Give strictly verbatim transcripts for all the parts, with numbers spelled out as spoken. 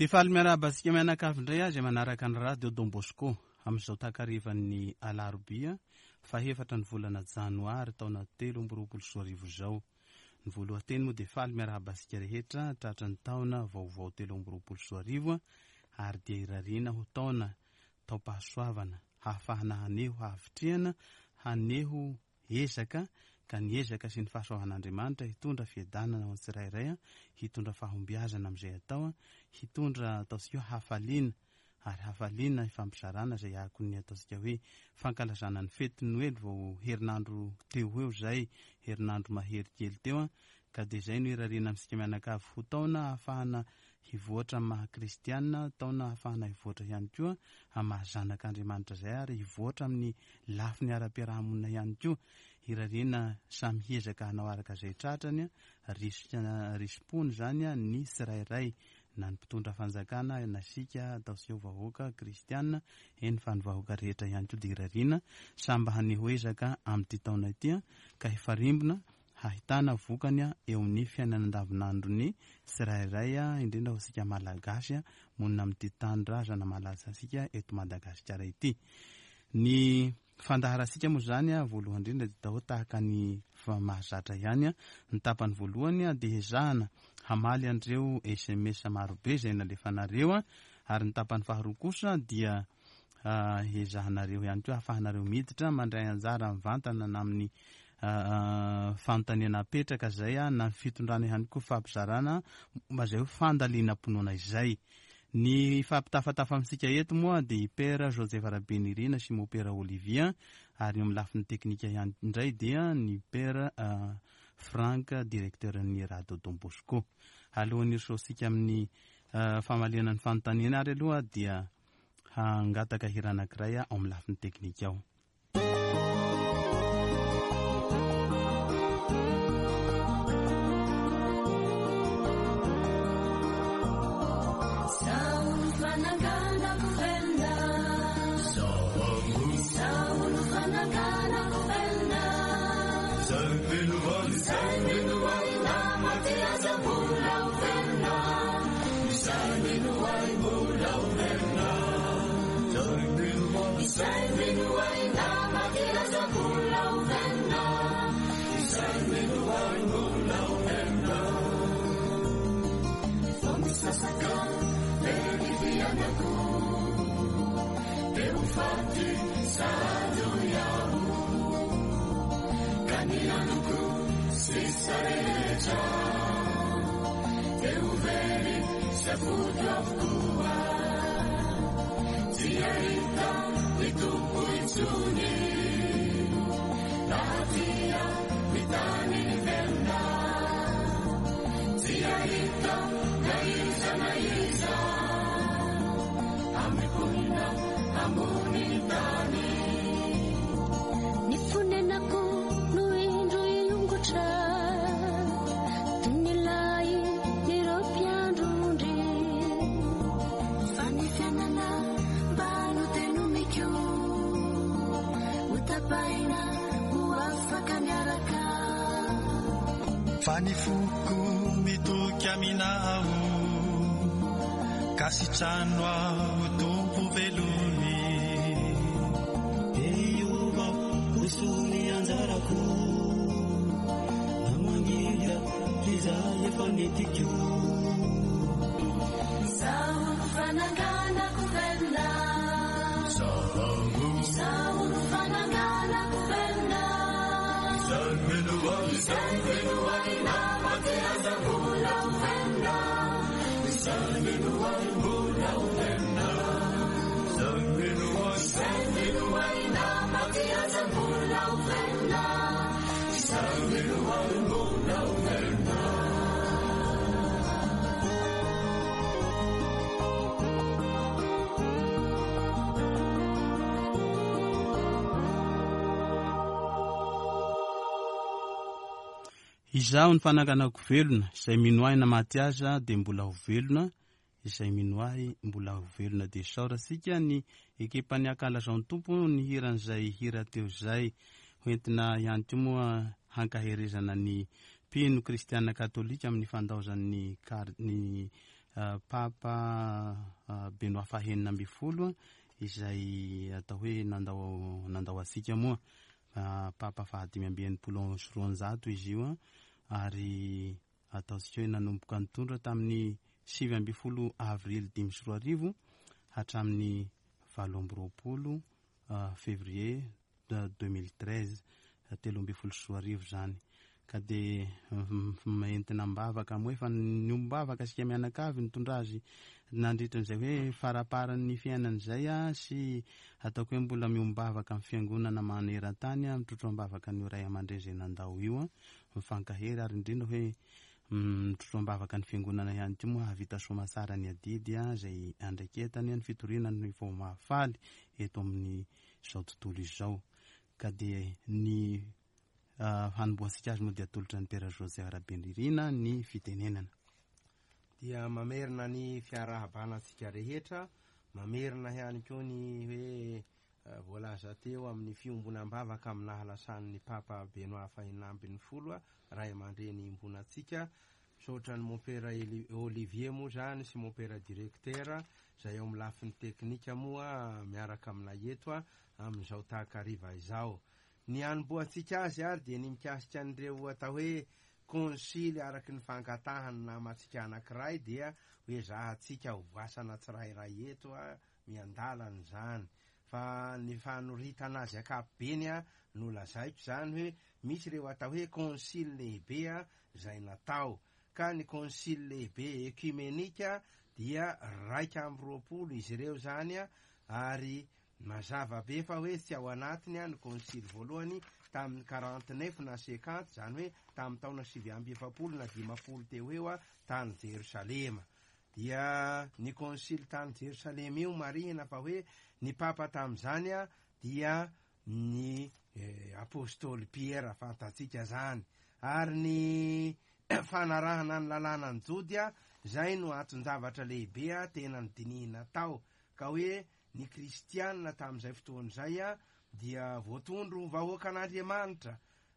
Dia faly miarahaba antsika mianakavy indray azy manaraka ny Radio Don Bosco amin'izao takarivan'ny alarobia fahefatra ny volana janoary taona telo amby roapolo sy roa arivo izao. Ny voalohan-teny moa dia faly miarahaba antsika rehetra tratra ny taona vaovao telo amby roapolo sy roa arivo ary dia irariana ho taona taom-pahasoavana hahafahana haneho havitrihana haneho ezaka ka ny ezaka sy ny fahasoavan'Andriamanitra hitondra fiadanana ho antsirairay, hitondra fahombiazana amin'izay atao, hitondra ataontsika hoe hafaliana ary hafaliana ifampizarana izay akon'ny ataontsika hoe fankalazana ny fety Noely vao herinandro teo ho eo izay, herinandro mahery kely teo, ka dia izay no irariana amintsika mianakavy ho taona ahafahana hivoatra amin'ny maha kristiana, taona ahafahana hivoatra ihany koa amin'ny maha zanak'Andriamanitra izay ary hivoatra amin'ny lafiny ara-piarahamonina ihany koa. Irariana samy hiezaka hanao araka izay tratrany, risika risi-pony izany ny tsirairay, na ny mpitondra fanjakana na isika ataontsika ho vahoaka kristiana, eny fa ny vahoaka rehetra ihany koa dia irariana samy mba haneho ezaka amin'ity taona ity ka hifarimbona hahitana vokany eo amin'ny fiainana andavanandron'ny tsirairay, indrindra ho antsika malagasy monina amin'ity tanindrazana malaza antsika eto Madagasikara ity. Ny fandaharantsika moa izany voalohany indrindra dia atao tahaka ny mahazatra ihany. Ny tapany voalohany dia ezahana hamaly an'ireo S M S marobe izay nalefanareo, ary ny tapany faharoa kosa dia ezahanareo ihany koa ahafahanareo miditra mandray anjara mivantana na amin'ny fanontaniana apetraka izay na ny fitondrana ihany koa fampizarana momba izay ho fandalinam-pinoana izay. Ny fampitafatafa amintsika eto moa dia i Père Joseph Rabenirina sy Mopera Olivier, ary eo amin'ny lafiny teknika ihany indray dia ny Père Franck, directeur ny Radio Don Bosco. Alohan'ny hirosoantsika amin'ny famaliana ny fanontaniana ary aloha dia hangataka hira anankiray ao amin'ny lafiny teknika ao. Fa ny foko mitoky aminao, ka sitrano aho Tompo velony. Dia ho soa anjarako, namangidy izay efa netiko. Izaho no fananganako velona, izaho no fananganako velona, izay mino ahy na maty aza mbola ho velona, izay mino ahy mbola ho velona, izay mino ahy na maty aza mbola ho velona, izay mino ahy mbola ho velona. Izaho ny fananganako velona, izay mino ahy na maty aza dia mbola ho velona, izay mino ahy mbola ho velona. Dia isaorantsika ny ekipan'ny Ankalazao ny Tompo ny hiran'izay hira teo izay. Hoentina ihany koa moa hankaherezana ny mpino kristiana katolika amin'ny fandaozan'ny kar-, ny Papa Benoît fahenina ambin'ny folo izay atao hoe nandao nandao antsika moa. Papa fahadimy amby enimpolo sy roanjato izy io ary ataontsika hoe nanomboka nitondra tamin'ny sivy ambin'ny folo avrily dimy sy roa arivo hatramin'ny valo amby roapolo février deux mille treize, telo ambin'ny folo sy roa arivo zany. Ka dia entina am-bavaka moa, efa niombom-bavaka isika mianakavy nitondra azy nandritra an'izay hoe faraparan'ny fiainan'izay a, sy ataoko hoe mbola miombom-bavaka amin'ny fiangonana maneran-tany a, mitrotro am-bavaka ny ray aman-dreny izay nandao io a, mifankahery ary indrindra hoe mitrotro am-bavaka ny fiangonana ihany koa moa hahavita soamatsara ny adidy a izay andraiketany ny fitoriana ny vao mahafaly eto amin'ny izao tontolo izao. Ka dia ny hanombohantsika azy moa dia atolotra ny Père José Rabenirina ny fitenenana. Dia mamerina ny fiarahabana antsika rehetra, mamerina ihany koa ny hoe voalaza teo amin'ny fiombonam-bavaka amin'ny nahalasan'ny Papa Benoît fahenina ambin'ny folo ray aman-dreny iombonantsika. Misaotra ny Mompera Olivier moa zany sy Mompera directeur izay eo amin'ny lafiny teknika moa miaraka aminay eto amin'izao takariva izao. Ny hanombohantsika azy ary dia ny mikasika an'ireo atao hoe konsily araky ny fangatahany namantsika anankiray, dia hoe zahantsika ho voasana tsirairay eto a miandalana izany. Fa ny fanoritana azy ankapobeny a no lazaiko zany hoe misy ireo atao hoe konsily lehibe a izay natao, ka ny konsily lehibe ekumenika dia raika amby roapolo izy ireo zany a, ary mazava be fa hoe tsy ao anatiny a ny konsily voalohany tamin'ny quarante-neuf na cinquante, zany hoe tamin'ny taona sivy amby efapolo na dimampolo teo eo a tany Jerosalema. Dia ny konsily tany Jerosalema io marihina fa hoe ny papa tamin'izany a dia ny eh, apôstôly Pierre fantatsika zany, ary ny fanarahana ny lalàna ny Jody a zay no anton-javatra lehibe a tena nodinihina tao, ka hoe ny kristianina tamin'izay fotoana izay a dia voatondro vahoaka an'Andriamanitra,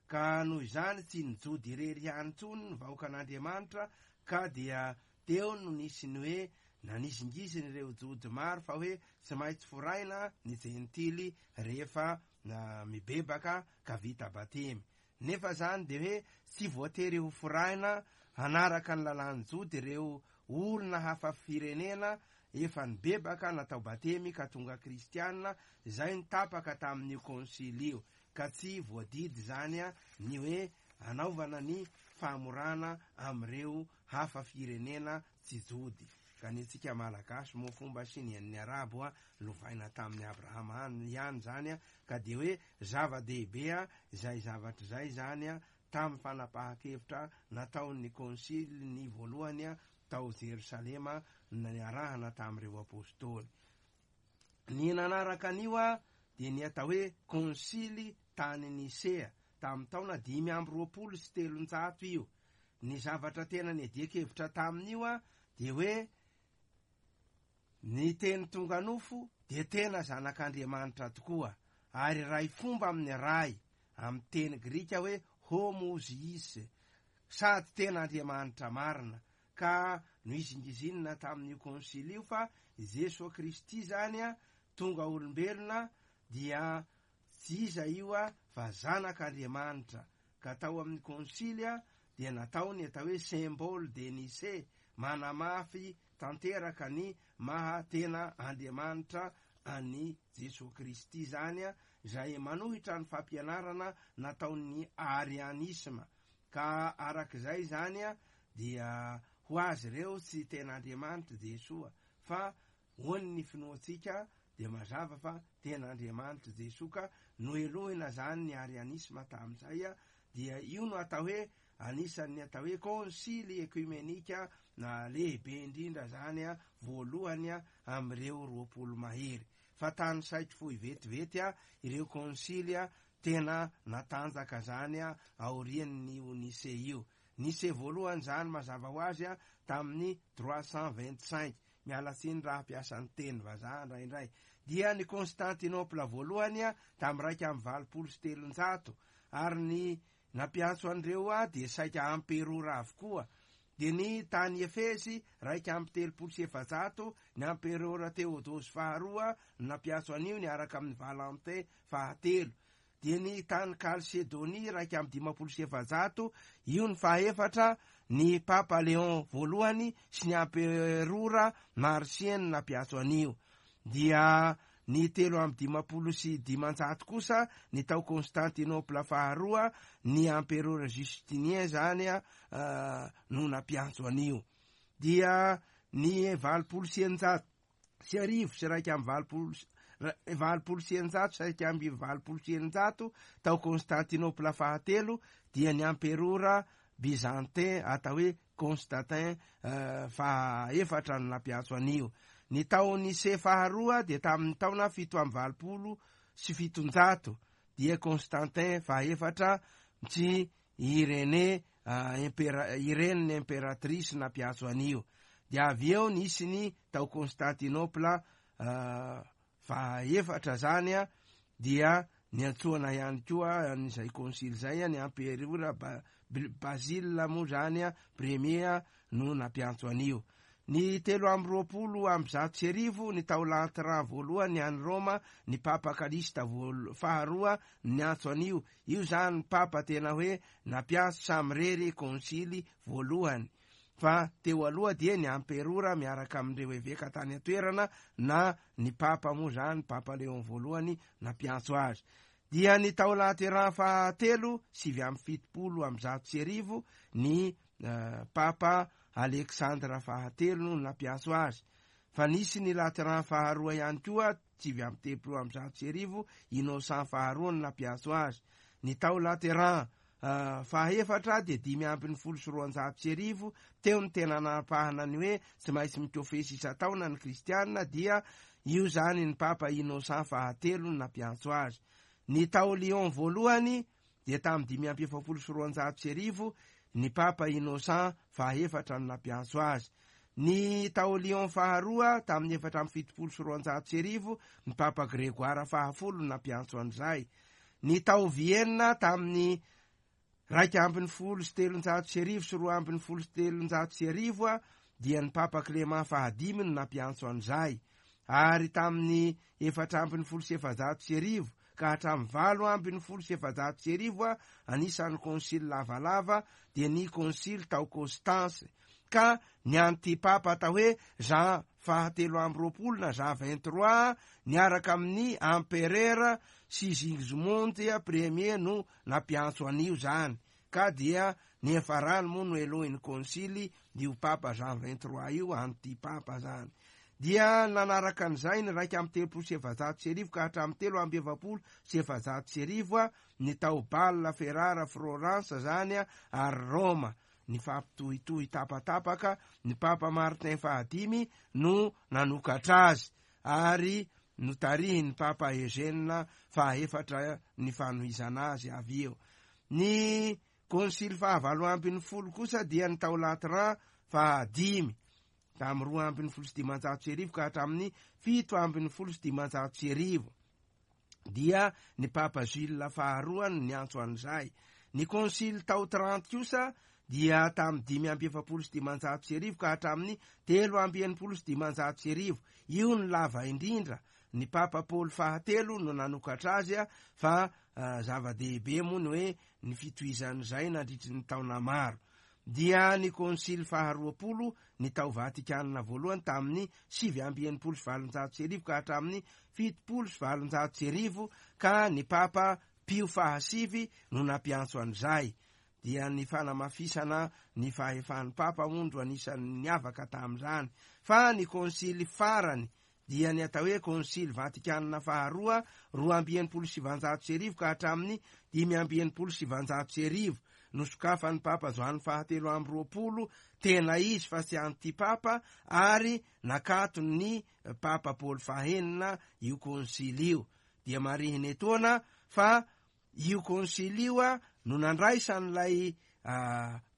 ka noho izany tsy ny Jody irery ihany intsony ny vahoaka an'Andriamanitra, ka dia teo no nisy ny hoe nanizingisiny ireo Jody maro fa hoe tsy maintsy foraina ny jentily rehefa mibebaka ka vita batemy. Nefa zany de hoe tsy voatery ho foraina hanaraka ny lalàn'ny Jody ireo olona hafa firenena efa nibebaka natao batemy ka tonga kristianina, izay nitapaka tamin'io konsily io, ka tsy voadidy zany a ny hoe anaovana ny famorana amin'ireo hafa firenena tsy Jody. Ka ny antsika Malagasy moa fomba sy ny an'ny Arabo a lovaina tamin'ny Abrahama ihany zany a, ka de hoe zava-dehibe a izay zavatra izay zany a tamin'ny fanapahan-kevitra nataon'ny konsily ny voalohany a tao Jerosalema niarahana tamin'ireo apôstôly. Ny nanaraka an'io a dia ny atao hoe konsily tany Nisea tamin'ny taona dimy amby roapolo sy telonjato io. Ny zavatra tena niadian-kevitra tamin'io a dia hoe ny teny tonga nofo dia tena zanak'Andriamanitra tokoa, ary ray fomba amin'ny ray, amin'ny teny grika hoe homoziis, sady tena Andriamanitra marina. Ka nohizingizinina tamin'io konsily io fa Jesoa Kristy zany a tonga olombelona dia tsy iza io a fa zanak'Andriamanitra. Ka tao amin'ny konsily a dia natao ny atao hoe symbole de Nicée, manamafy tanteraka ny maha tena Andriamanitra an'i Jesoa Kristy zany a, izay manohitra ny fampianarana nataon'ny arianisma. Ka arak'izay zany a dia ho azy ireo tsy tena Andriamanitra Jesoa, fa hoan'ny finoantsika dia mazava fa tena Andriamanitra Jesoa, ka nohelohina zany ny arianisma tamin'izay a. Dia io no atao hoe anisan'ny atao hoe konsily ekumenika na lehibe indrindra zany a voalohany a amin'ireo roapolo mahery. Fa tany saiko fohy vetivety a ireo konsily a tena natanjaka zany a aorian'ny Nicée io. Nicée voalohany zany mazava ho azy a tamin'ny trois cent vingt-cinq, miala tsiny raha hampiasa ny teny vazaha indraindray. Dia ny Constantinople voalohany a tamin'ny raika amby valopolo sy telonjato, ary ny nampiantso an'ireo a dia saika amperora avokoa. Dia ny tany Efesy raika amby telopolo sy efajato, ny amperora Teodosy faharoa nampiantso an'io niaraka amin'ny Valentin fahatelo. Dia ny tany Kalsedonia raika amby dimampolo sy efajato, io ny fahaefatra, ny Papa Léon voalohany sy ny amperora Marcien nampiantso an'io. Dia ny telo amby dimampolo sy dimanjato kosa ny tao Constantinople faharoa, ny amperora Justinien zany a no nampiantso an'io. Dia ny valopolo sy eninjato sy arivo sy raika amby valopolo valopolo sy eninjato sy raika amby valopolo sy eninjato tao Constantinople fahatelo, dia ny amperora Byzantin atao hoe Constantin fahaefatra no nampiantso an'io. Ny tao Nicée faharoa dia tamin'ny taona fito amby valopolo sy fitonjato, dia Constantin fahaefatra sy Irene impera Irene impératrice nampiantso an'io. Dia avy eo nisy ny tao Constantinople fahaefatra zany a, dia niantsoana ihany koa an'izay konsily zay a, ny amperora Basile moa zany a premier no nampiantso an'io. Ny telo amby roapolo amby zato sy arivo ny tao Latran voalohany any Roma, ny Papa Kalista faharoa niantso an'io. Io zany papa tena hoe nampiantso samirery konsily voalohany, fa teo aloha dia ny amperora miaraka amin'ireo eveka tany an-toerana na ny papa moa zany Papa Léon voalohany nampiantso azy. Dia ny tao Lateran fahatelo sivy amby fitopolo amby zato sy arivo, ny Papa Alexandre fahatelo no nampiantso azy. Fa nisy ny Lateran faharoa ihany koa sivy amby telopolo amby zato sy arivo, Innocent faharoa no nampiantso azy. Ny tao Lateran fahaefatra dia dimy ambin'ny folo sy roanjato sy arivo, teo ny tena nanapahana ny hoe tsy maintsy mikofesy isan-taona ny kristianina, dia io zany ny Papa Innocent fahatelo no nampiantso azy. Ny tao Lyon voalohany dia tamin'ny dimy amby efapolo sy roanjato sy arivo, ny Papa Innocent fahaefatra no nampiantso azy. Ny tao Lyon faharoa tamin'ny efatra amby fitopolo sy roanjato sy arivo, ny Papa Grégoire fahafolo no nampiantso an'izay. Ny tao Vienne tamin'ny raika ambin'ny folo sy telonjato sy arivo sy roa ambin'ny folo sy telonjato sy arivo a, dia ny Papa Clément fahadimy no nampiantso an'izay. Ary tamin'ny efatra ambin'ny folo sy efajato sy arivo ka hatramin'ny valo ambin'ny folo sy efajato sy arivo a, anisan'ny konsily lavalava dia ny konsily tao Constance, ka ny antipapa atao hoe Jean fahatelo amby roapolo na Jean vingt-trois niaraka amin'ny empereur Sigismond premier no nampiantso an'io zany. Ka dia ny efarany moa no elohin'ny konsily io Papa Jean vingt-trois io, antipapa zany. Dia nanaraka an'izay ny raika amby telopolo sy efajato sy arivo ka hatramin'ny telo amby efapolo sy efajato sy arivo a, ny tao Bâle, Ferrara, Florence zany a, ary Roma. Ny fampitohitohy tapatapaka ny Papa Martin fahadimy no nanokatra azy, ary notarihin'ny Papa Eugène fahaefatra ny fanohizana azy avy eo. Ny konsily fahavalo ambin'ny folo kosa dia ny tao Latran fahadimy tamin'ny roa ambin'ny folo sy dimanjato sy arivo ka hatramin'ny fito ambin'ny folo sy dimanjato sy arivo, dia ny Papa Gilles faharoa no niantso an'izay. Ny konsily tao Trente kosa dia tamin'ny dimy amby efapolo sy dimanjato sy arivo ka hatramin'ny telo amby enimpolo sy dimanjato sy arivo. Io ny lava indrindra, ny Papa Paoly fahatelo no nanokatra azy a, fa zava-dehibe moa ny hoe ny fitohizan'izay nandritry ny taona maro. Dia ny konsily faharoapolo ny tao Vatikana voalohany tamin'ny sivy amby enimpolo sy valonjato sy arivo ka hatramin'ny fitopolo sy valonjato sy arivo, ka ny Papa Pio fahasivy no nampiantso an'izay. Dia ny fanamafisana ny fahefan'ny Papa ondro anisan'ny niavaka tamin'izany. Fa ny konsily farany dia ny atao hoe konsily Vatikana faharoa roa amby enimpolo sy sivanjato sy arivo ka hatramin'ny dimy amby enimpolo sy sivanjato sy arivo, nosokafan'ny Papa Joany fahatelo amby roapolo tena izy fa tsy antipapa, ary nakatony Papa Paoly fahenina io konsily io. Dia marihina etoana fa io konsily io a no nandraisan'ilay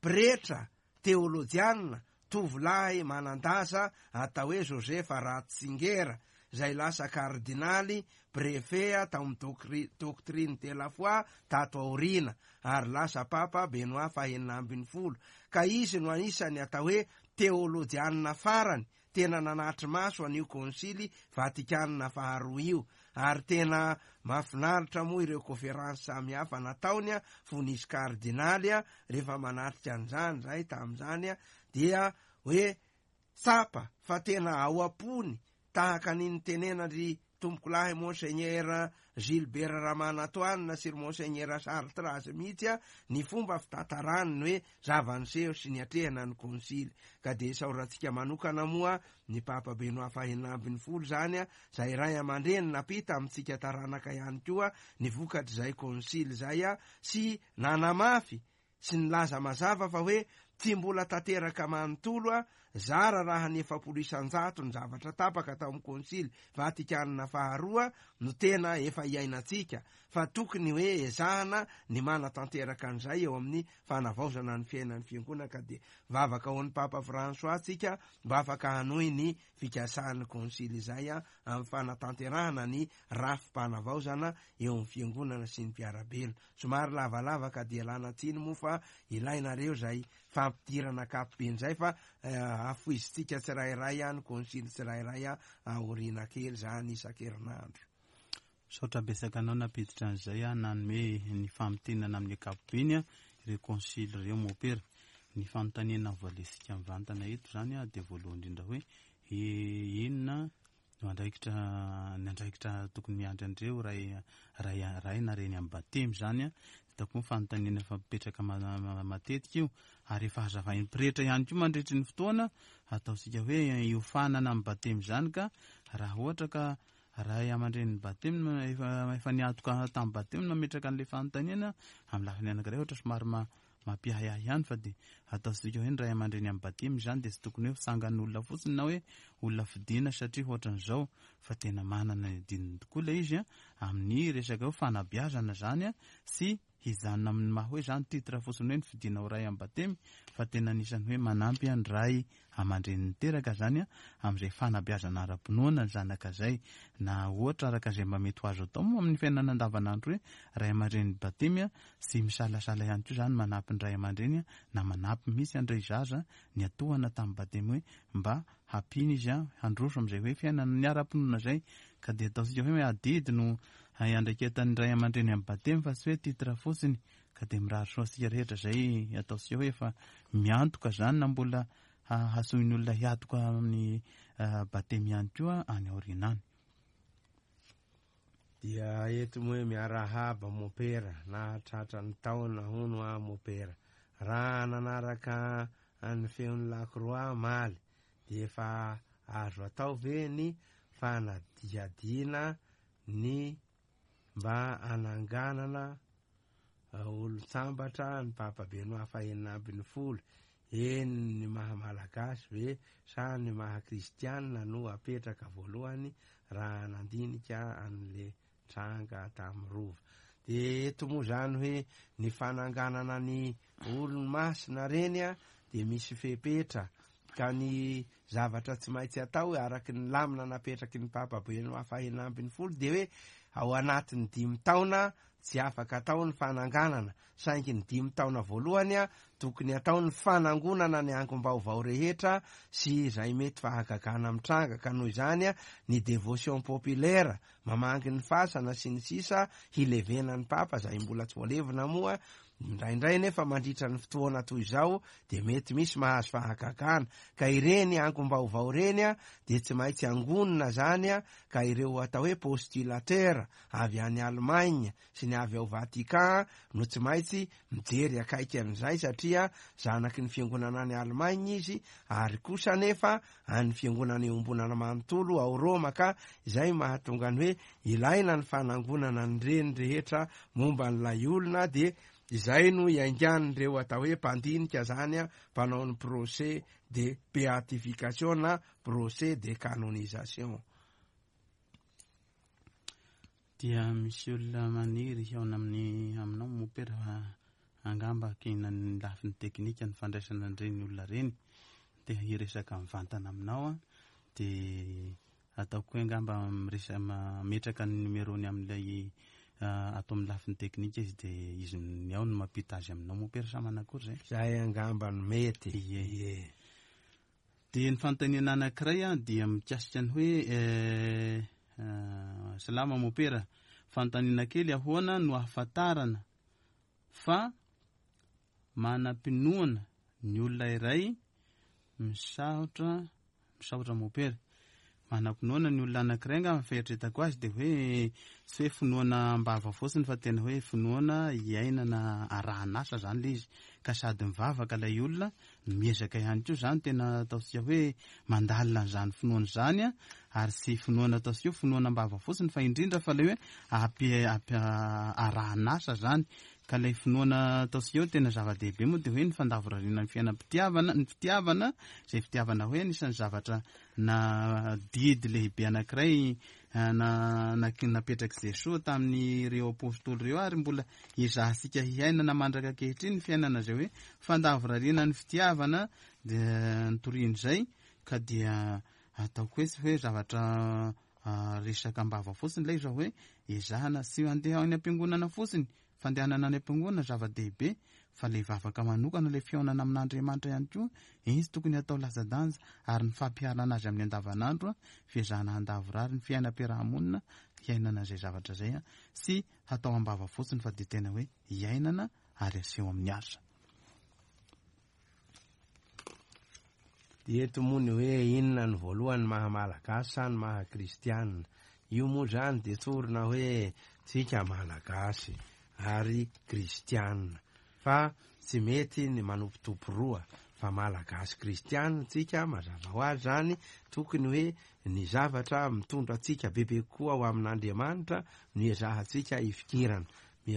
pretra teolojianina tovolahy manan-daza atao hoe Joseph Ratzinger, izay lasa kardinaly préfet tao amin'ny doctrine de la foi tato aoriana, ary lasa Papa Benoît fahenina ambin'ny folo. Ka izy no anisany atao hoe teolojianina farany tena nanatry maso an'io Konsily Vatikanina faharoa io, ary tena mahafinaritra moa ireo conférence samihafa nataony a fony izy kardinaly a rehefa manatrika an'izany zay tamin'izany a dia hoe tsapa fa tena ao am-pony tahaka ny nitenenandry tompokolahy Monseigneur Gilbert Ramanantoanina sy ry Monseigneur Charles mihitsy a ny fomba fitantarany ny hoe zava-niseho sy ny atrehana ny konsily. Ka de isaorantsika manokana moa ny Papa Benoît fahenina ambin'ny folo zany a zay ray aman-dreny napita amintsika taranaka ihany koa ny vokatr'izay konsily zay a sy nanamafy sy nilaza mazava fa hoe tsy mbola tanteraka manontolo a zara raha ny efapolo isanjato ny zavatra tapaka tao amin'ny Konsily Vatikanina faharoa no tena efa iainantsika, fa tokony hoe ezahana ny manatanteraka an'izay eo amin'ny fanavaozana ny fiainan'ny fiangonana. Ka de vavaka ho an'ny Papa François tsika mba afaka hanohy ny fikasan'ny konsily izay a amin'ny fanatanterahana ny rafi-panavaozana eo amin'ny fiangonana sy ny mpiara-belona. Somary lavalava ka dia lana tsiny moa fa ilainareo zay fampidirana ankapobeny zay, fa afoizitsika tsirairay a ny konsily tsirairay a aoriana kely zany isan-kerinandro. Misaotra betsaka anao nampiditra an'izay a nanome ny famintinana amin'ny ankapobeny a ireo konsily ireo mopera. Ny fanontaniana voalesika mivantana eto zany a dia voalohany indrindra hoe inona no andraikitra ny andraikitra tokony miandry andreo ray ray ray na reny amin'ny batemy zany a. Hitako moa fanontaniana efa mipetraka matetika io, ary efa hazavain'ny pretra ihany koa mandritry ny fotoana ataontsika hoe iofanana amin'ny batemy zany. Ka raha ohatra ka ray aman-drenin'ny batemy efa efa niatoka tamin'ny batemy nametraka an'ilay fanontaniana amin'ny lafiny anankiray ohatra somary mampiahiahy ihany, fa dia ataontsika hoe ny ray aman-dreny amin'ny batemy zany dia tsy tokony hoe fitsangan'olona fotsiny na hoe olona fidiana satria ohatran'izao, fa tena manana ny adininy tokoa ilay izy a amin'ny resaka hoe fanabeazana zany a sy hijanona amin'ny maha hoe zany titre fotsiny hoe ny fidiana ho ray amin'ny batemy, fa tena anisan'ny hoe manampy ny ray aman-dreny niteraka zany a amin'izay fanabeazana ara-pinoana ny zanaka zay, na ohatra araka izay mba mety ho azo atao moa amin'ny fiainana andavanandro hoe ray aman-dreny batemy a sy misalasala ihany koa zany manampy ny ray aman-dreny na manampy mihitsy andray zaza ny atohana tamin'ny batemy hoe mba hampiana izy a handroso amin'izay hoe fiainana ny ara-pinoana zay. Ka dia ataontsika hoe adidy no andraiketan'ny ray aman-dreny amin'ny batemy fa tsy hoe titre fotsiny. Ka dia mirary soa antsika rehetra zay ataontsika hoe efa miantoka zany na mbola hasoin'ny olona hiatoka amin'ny batemy ihany koa any aoriana any. Dia eto moa hoe miarahaba mopera, nahatratra ny taona hono a mopera. Raha nanaraka ny feon'ny Lakroa maly dia efa azo atao ve ny fanadihadiana ny mba ananganana olon-tsambatra ny Papa Benoît fahenina ambin'ny folo? Eny ny maha malagasy ve sa ny maha kristianina no apetraka voalohany raha nandinika an'le tranga tamin'ny rova? De eto moa zany hoe ny fananganana ny olony masina reny a de misy fepetra, ka ny zavatra tsy maintsy atao araky ny lamina napetraky ny Papa Benoît fahenina ambin'ny folo de hoe ao anatin'ny dimy taona tsy afaka atao ny fananganana, saingy ny dimy taona voalohany a tokony atao ny fanangonana ny angom-baovao rehetra sy izay mety fahagagana mitranga. Ka noho izany a ny dévotion populaire mamangy ny fasana sy ny sisa hilevena ny papa zay mbola tsy voalevina moa indraindray, nefa mandritra ny fotoana toy izao de mety misy mahazo fahagagana, ka ireny angom-baovao reny a de tsy maintsy angonina zany a ka ireo atao hoe postulateur avy any Allemagne sy ny avy ao Vatican no tsy maintsy mijery akaiky an'izay, satria zanaky ny fiangonana any Allemagne izy ary kosa nefa any fiangonana iombonana manontolo ao Roma. Ka izay mahatonga ny hoe ilaina ny fanangonana ny reny rehetra momba n'ilay olona, de izay no iaingan'ireo atao hoe mpandinika zany a mpanao ny procès de béatification na procès de canonisation. Dia misy olona maniry hihaona amin'ny aminao mopera, angamba kina ny lafiny teknika ny fandraisana an'ireny olona reny, te hiresaka mivantana aminao a de Ataoko hoe angamba miresa mametraka ny numéro-ny amin'ilay ato amin'ny lafiny teknika izy, dia izy ny ao no mampita azy aminao mompera sa manakory zay? Zay angamba no mety. Ie. Ie. Dia ny fanontaniana anankiray a dia mikasika ny hoe eh, eh, salama mompera, fanontaniana kely, ahoana no ahafantarana fa manam-pinoana ny olona iray? Misaotra, misaotra mompera. Manam-pinoana ny olona anankiray angamba ny fieritreretako azy dia hoe tsy hoe finoana am-bava fotsiny fa tena hoe finoana iainana arahan'asa zany ilay izy, ka sady mivavaka ilay olona no miezaka ihany koa zany, tena ataontsika hoe mandalina an'izany finoana izany a, ary tsy finoana ataontsika hoe finoana am-bava fotsiny fa indrindra fa ilay hoe ampi-, ampi-, arahan'asa zany. Ka ilay finoana ataontsika hoe tena zava-dehibe moa dia hoe ny fandavorariana ny fiainam-pitiavana, ny fitiavana, izay fitiavana hoe anisan'ny zavatra na didy lehibe anankiray, eh, na, na, napetrak'i Jesoa tamin'ireo apôstôly ireo, ary mbola ezahantsika hiainana mandraka ankehitriny ny fiainana izay hoe fandavorariana ny fitiavana dia nitorian'izay, ka dia ataoko hoe tsy hoe zavatra, ah, resaka am-bava fotsiny ilay izy fa hoe ezahana tsy handeha any am-piangonana fotsiny, fandehanana any am-piangonana zava-dehibe, fa ilay vavaka manokana, ilay fihaonana amin'Andriamanitra ihany koa, izy tokony hatao latsa-danja, ary ny fampiharana azy amin'ny andavanandro, fiezahana handavorary ny fiainam-piarahamonina, hiainana izay zavatra izay, tsy hatao am-bava fotsiny fa dia tena hoe hiainana ary aseho amin'ny asa. Dia eto moa ny hoe inona ny voalohany maha malagasy sa ny maha kristianina? Io moa zany dia tsorina hoe tsika malagasy ary kristianina, fa tsy mety ny manompotompo roa, fa malagasy kristianina tsika, mazava ho azy zany, tokony hoe ny zavatra mitondra antsika bebe kokoa ho amin'Andriamanitra no ezahantsika hifikirana.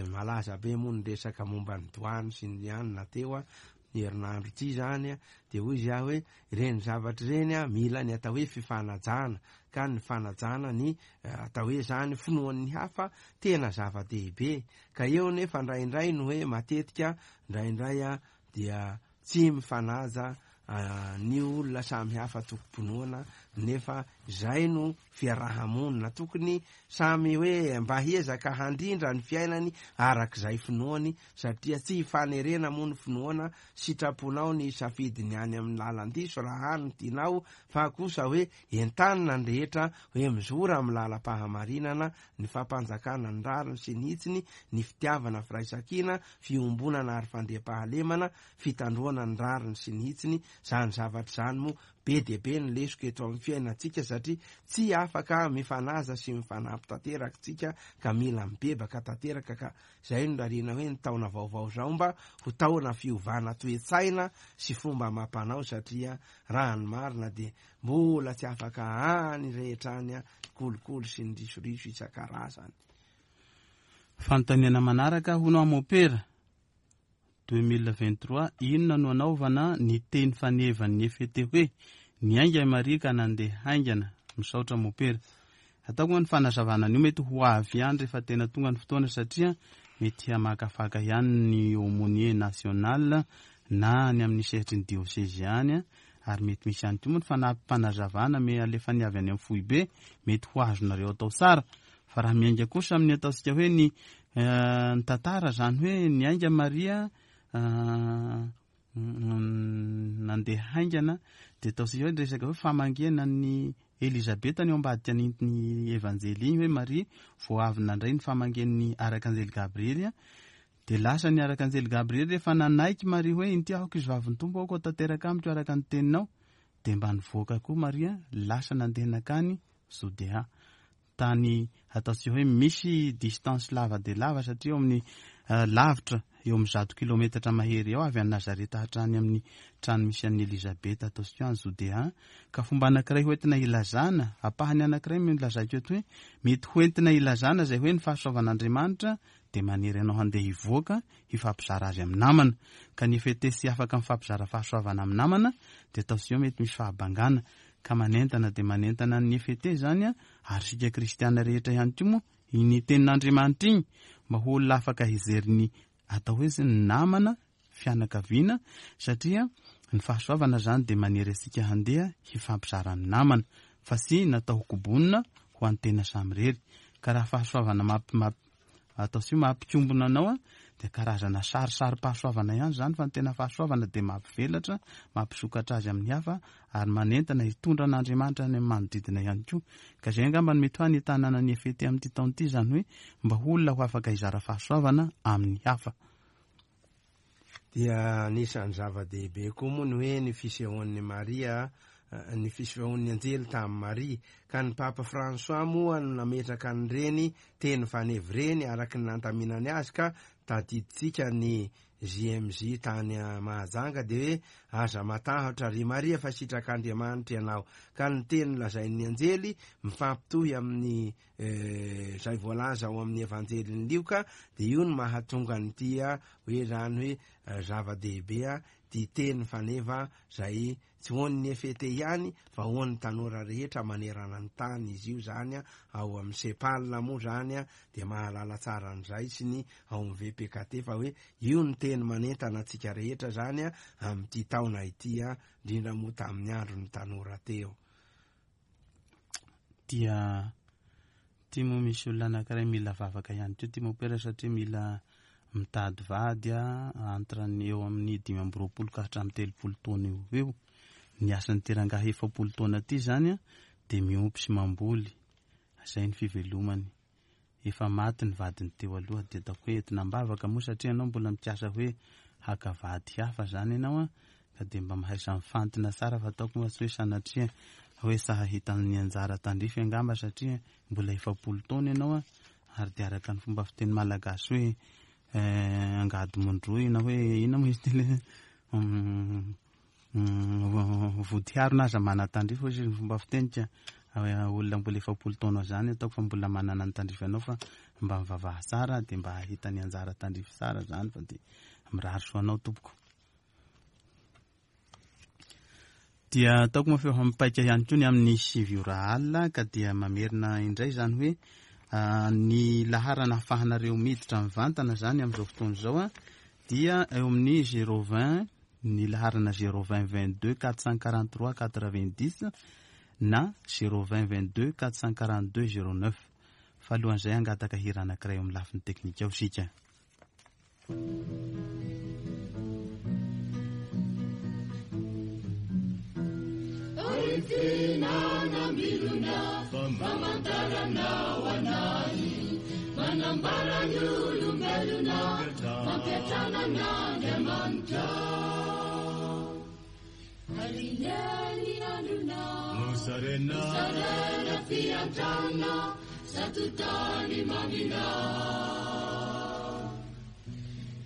Malaza be moa ny resaka momba ny doany sy ny anona teo a, ny herinandro ity zany a, dia hoy izy aho hoe ireny zavatra ireny a mila ny atao hoe fifanajana, ka ny fanajana ny, eh, atao hoe zany finoan'ny hafa tena zava-dehibe. Ka eo nefa indraindray no hoe matetika indraindray a dia tsy mifanaja, ah, ny olona samy hafa tokom-pinoana, nefa izay no fiarahamonina. Tokony samy hoe mba hiezaka handrindra ny fiainany arak'izay finoany, satria tsy hifanerena moa ny finoana, sitraponao ny safidiny any amin'ny lalan-diso raha any tianao, fa kosa hoe entanina ny rehetra hoe mizora amin'ny lalam-pahamarinana, ny fampanjakana ny rariny sy ny hitsiny, ny fitiavana firaisankina, fiombonana ary fandriampahalemana, fitandroana ny rariny sy ny hitsiny. Zany zavatra zany moa be dia be ny lesoka eto amin'ny fiainantsika, satria tsy afaka mifanaja sy mifanampy tanteraka tsika, ka mila mibebaka tanteraka. Ka zay no rariana hoe ny taona vaovao zao mba ho taona fiovana toe-tsaina sy fomba amam-panao, satria raha ny marina dia mbola tsy afaka any rehetra any a, kolikoly sy ny risoriso isan-karazany. Fanontaniana manaraka hono amopera deux mille vingt-trois, inona no anaovana ny teny fanevan'ny F T hoe niainga i Maria ka nandeha haingana? Misaotra mopera. Ataoko moa ny fanazavana an'io mety ho avy ihany rehefa tena tonga ny fotoana, satria mety hamakafaka ihany ny aumônier national na ny amin'ny sehatry ny diocèse ihany, ary mety misy ihany koa moa ny fanampim-panazavana me alefany avy any amin'ny foibe, mety ho azonareo atao tsara. Fa raha miainga kosa amin'ny ataontsika hoe ny, eh, ny tantara zany hoe niainga Maria, eh, mm, nandeha haingana, dia ataontsika hoe resaka hoe famangiana ny Elizabeta ny ao ambadika ny, ny evanjely iny, hoe Maria vao avy nandray ny famangian'ny arkanjely Gabriely, dia lasa ny arkanjely Gabriely rehefa nanaiky Maria hoe inty aho ankizy vavin'ny Tompo, aoka ho tanteraka amiko araka ny teninao, dia mba nivoaka koa Maria, lasa nandeha nankany Jodea, tany ataontsika hoe misy distance lava dia lava, satria eo amin'ny, eh, lavitra eo amin'ny zato kilometatra mahery eo avy any Nazareta hatrany amin'ny trano misy an'i Elizabeta ataontsika hoe any Jodea. Ka fomba anankiray hoentina ilazana, ampahany anankiray no lazaiko eto hoe mety hoentina ilazana izay hoe ny fahasoavan'Andriamanitra dia manery anao handeha hivoaka hifampizara azy amin'ny namana. Ka ny F T sy afaka mifampizara fahasoavana amin'ny namana dia ataontsika hoe mety misy fahabangana, ka manentana dia manentana ny F T zany a, ary isika kristiana rehetra ihany koa moa iny tenin'Andriamanitra iny mba ho olona afaka hijery ny atao hoe ny namana, fianakaviana, satria ny fahasoavana zany dia manery antsika handeha hifampizara amin'ny namana. fa tsy natao ho kobonina ho an'ny tena samirery. Ka raha fahasoavana mampi- mampi- atao sy mampikombona anao a, dia karazana sarisarim-pahasoavana ihany zany, fa ny tena fahasoavana dia mampivelatra, mampisokatra azy amin'ny hafa ary manentana hitondra an'Andriamanitra any amin'ny manodidina ihany koa. Ka izay angamba no mety ho hanentanana ny F E T amin'ity taona ity, izany hoe mba ho olona ho afaka hizara fahasoavana amin'ny hafa. Dia anisan'ny zava-dehibe koa moa ny hoe ny fisehoan'ny Maria, eh, ny fisehoan'ny anjely tamin'i Maria. Ka ny Papa François moa no nametraka an'ireny teny fanevy ireny araka ny nandaminany azy, ka tadiditsika ny J M J tany Mahajanga dia hoe aza matahotra ry Maria fa sitrak'Andriamanitra ianao. Ka ny teny lazain'ny anjely mifampitohy amin'ny eh, zay voalaza ao amin'ny Evanjelin'ny Lioka, dia io no mahatonga an'ity hoe zany hoe eh, zava-dehibe a ty teny faneva zay tsy hoan'ny F E T ihany fa hoan'ny tanora rehetra manerana ny tany izy io zany a. Ao amin'ny SEPAL moa zany a dia mahalala tsara an'izay sy ny ao amin'ny V P K T fa hoe io ny teny manentana antsika rehetra zany a amin'ity taona ity a, indrindra moa tamin'ny andro ny tanora teo. Dia ty moa misy olona anankiray mila vavaka ihany koa ty mopera, satria mila mitady vady a, entre ny eo amin'ny dimy amby roapolo ka hatramin'ny telopolo taona eo eo. Ny asan'ity rangahy efapolo taona ty zany a dia miompy sy mamboly, zay ny fivelomany. Efa maty ny vadiny teo aloha, dia ataoko hoe entina am-bavaka moa satria ianao mbola mikasa hoe haka vady hafa zany ianao a, ka dia mba mahaisa mifantina tsara, fa ataoko moa tsy hoe sanatria hoe tsy hahita ny anjara tandrify angamba, satria mbola efapolo taona ianao a, ary dia araka ny fomba fiteny malagasy hoe eh, angady mondroy na hoe ina moa izy ty le mm, mm, vody harona aza manatandrify hoy izy ny fomba fitenika. Olona mbola efapolo taona zany ataoko fa mbola manana ny tandrify anao, fa mba mivavaha tsara dia mba hahita ny anjara tandrify tsara zany, fa dia mirary soa anao tompoko. Dia ataoko moa fa efa mipaika ihany koa ny amin'ny sivy ora alina, ka dia mamerina indray zany hoe ah, ny laharana ahafahanareo miditra mivantana zany amin'izao fotoana izao a dia eo amin'ny zéro vingt, ny laharana zéro vingt vingt-deux quatre cent quarante-trois quatre-vingt-dix na zéro vingt vingt-deux quatre cent quarante-deux zéro neuf. Fa alohan'izay angataka hira anankiray eo amin'ny lafiny teknika ao sika. Fihinanam-bilona famantaranao anay, manambara ny olombelona, fampiatrana an'Andriamanitra. Alineny androna Mosarena sarena fiantrana zato tany mamina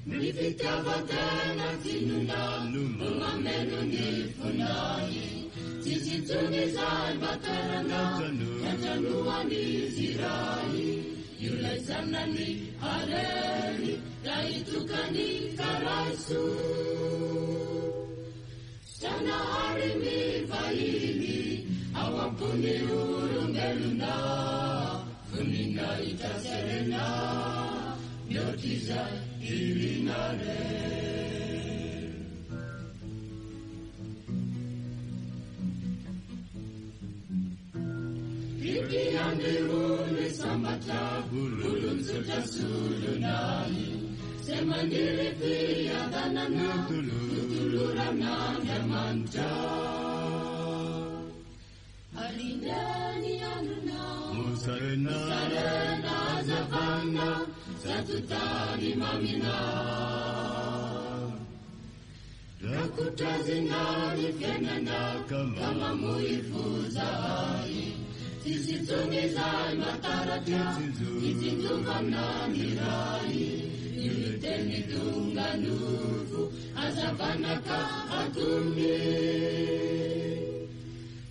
ny fitiavan-tena tsinona no mameno ny fonay. Tsisy intsony izay mba toerana iantranoan'izy iray io lay zanany arery lahitokany karaiso Zanahary mivahiny ao am-pony olombelona, voninahitra sy harena mihoatr'izay irina re. Mpiandry olo sambatra, olon-tsotra solonay zay maniry fiadanana totoloran'Andriamanitra. Alineny androna Mosarena sarena hazavana zato tany mamina rakotrazina ny fiainana ka mamoifo zahay. Tsisy intsony izay mataratra itsinjovana ny ray io ny teny tonga nofo hazavana ka atony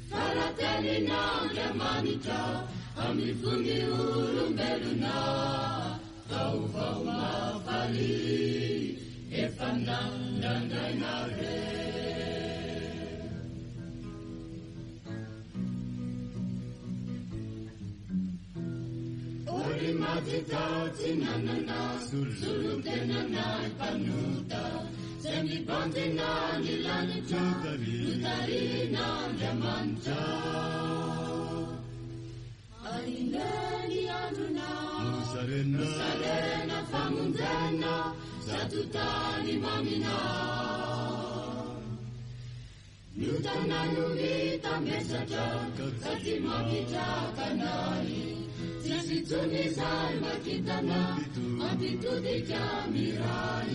faratenin'Andriamanitra amin'ny fony olombelona vaovao mahafaly efa nandrandraina re. Ory maditao-tsinanana solontenanay mpanota zay mibanjina ny lanitra notarihin'Andriamanitra. Mandeha ny androna Mosarena Mosarena famonjena Zato tany mamina Ny otana no mitambesatra Sady mampitraka anay Tsisy intsony izay makintana Mampitodika miray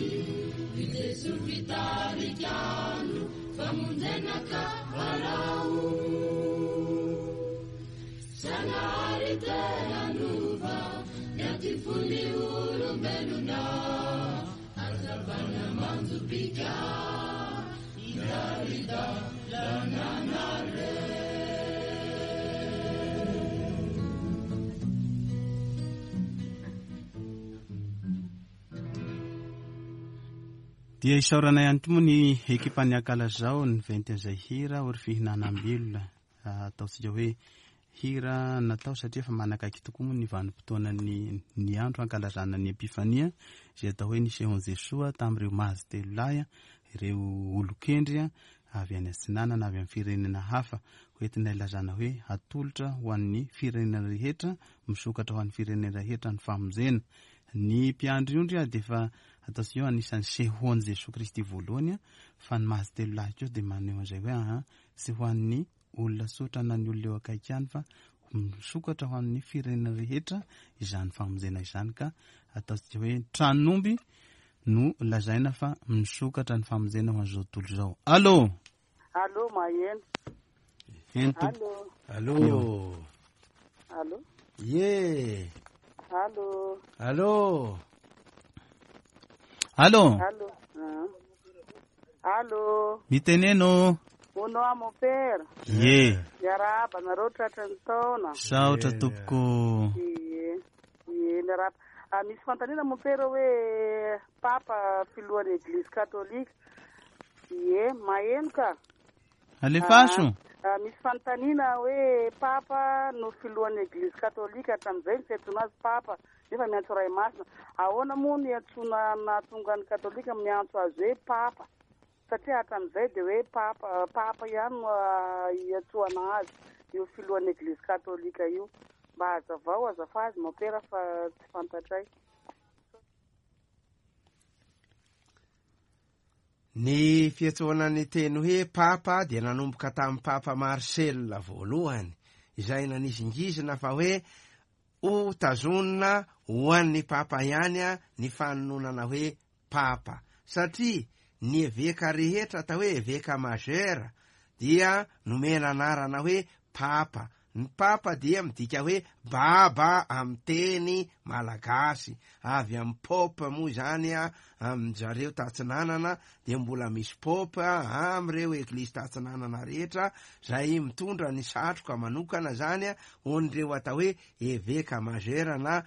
I Jesoa fitarika andro Famonjena ka arao Zanahary te hanova Ny aty fon'ny olombelona Hazavana manjopika Irarida lananare. Dia isaorana ihany koa moa ny ekipan'ny Ankalazao ny ventin'izay hira ory fihinanam-bilona. Ataontsika hoe hira natao satria efa manakaiky tokoa moa ny vanim-potoanan'ny ny andro ankalazana ny Epifania, izay atao hoe nisehon'i Jesoa tamin'ireo mazy telo lahy, ireo olon-kendry avy any atsinanana, avy amin'ny firenena hafa, hoentina ilazana hoe atolotra ho an'ny firenena rehetra, misokatra ho an'ny firenena rehetra ny famonjena. Ny mpiandry ondry dia efa ataontsika hoe anisan'ny sehoan'i Jesoa Kristy voalohany, fa ny mazy telo lahy koa dia maneho an'izay hoe aha, tsy ho an'ny olona tsotra na ny olona eo akaiky ihany fa misokatra ho an'ny firenena rehetra izany famonjena izany, ka ataontsika hoe tran'omby no lazaina fa misokatra ny famonjena ho an'izao tontolo izao. Allô? Allô, maheno. Eny tompoko. Allô. Allô. Allô. Ye. Allô. Allô. Allô. Allô. Allô. Miteneno. Hono aho mon père. Ye. Miarahaba anareo tratry ny taona. Saotra tompoko. Ye. Ye, miarahaba. Ah, misy fanontaniana mon père hoe papa filohan'ny Eglizy katolika. Ye, maheno ka. Alefaso. Ah, misy fanontaniana hoe papa no filohan'ny Eglizy katolika hatramin'izay ny fiantsoana azy papa nefa miantso Ray Masina. Ahoana moa ny antsoina nahatonga ny katolika miantso azy hoe papa? Satria hatramin'izay dia hoe papa, papa ihany no iantsoana azy io filohan'ny Eglizy katolika io. Mba hazavao azafady mon père fa tsy fantatray. Ny fiantsoana ny teny hoe papa dia nanomboka tamin'ny papa Marcel voalohany, izay nanizingizina fa hoe ho tazonina ho an'ny papa ihany ny fanononana hoe papa, satria ny eveka rehetra atao hoe eveka majeur dia nomena anarana hoe papa. Ny papa dia midika hoe baba amin'ny teny malagasy, avy amin'ny pope moa izany a, amin-jareo tatsinanana dia mbola misy pope amin'ireo eglizy tatsinanana rehetra izay mitondra ny satroka manokana zany a, ho an'ireo atao hoe eveka majeur na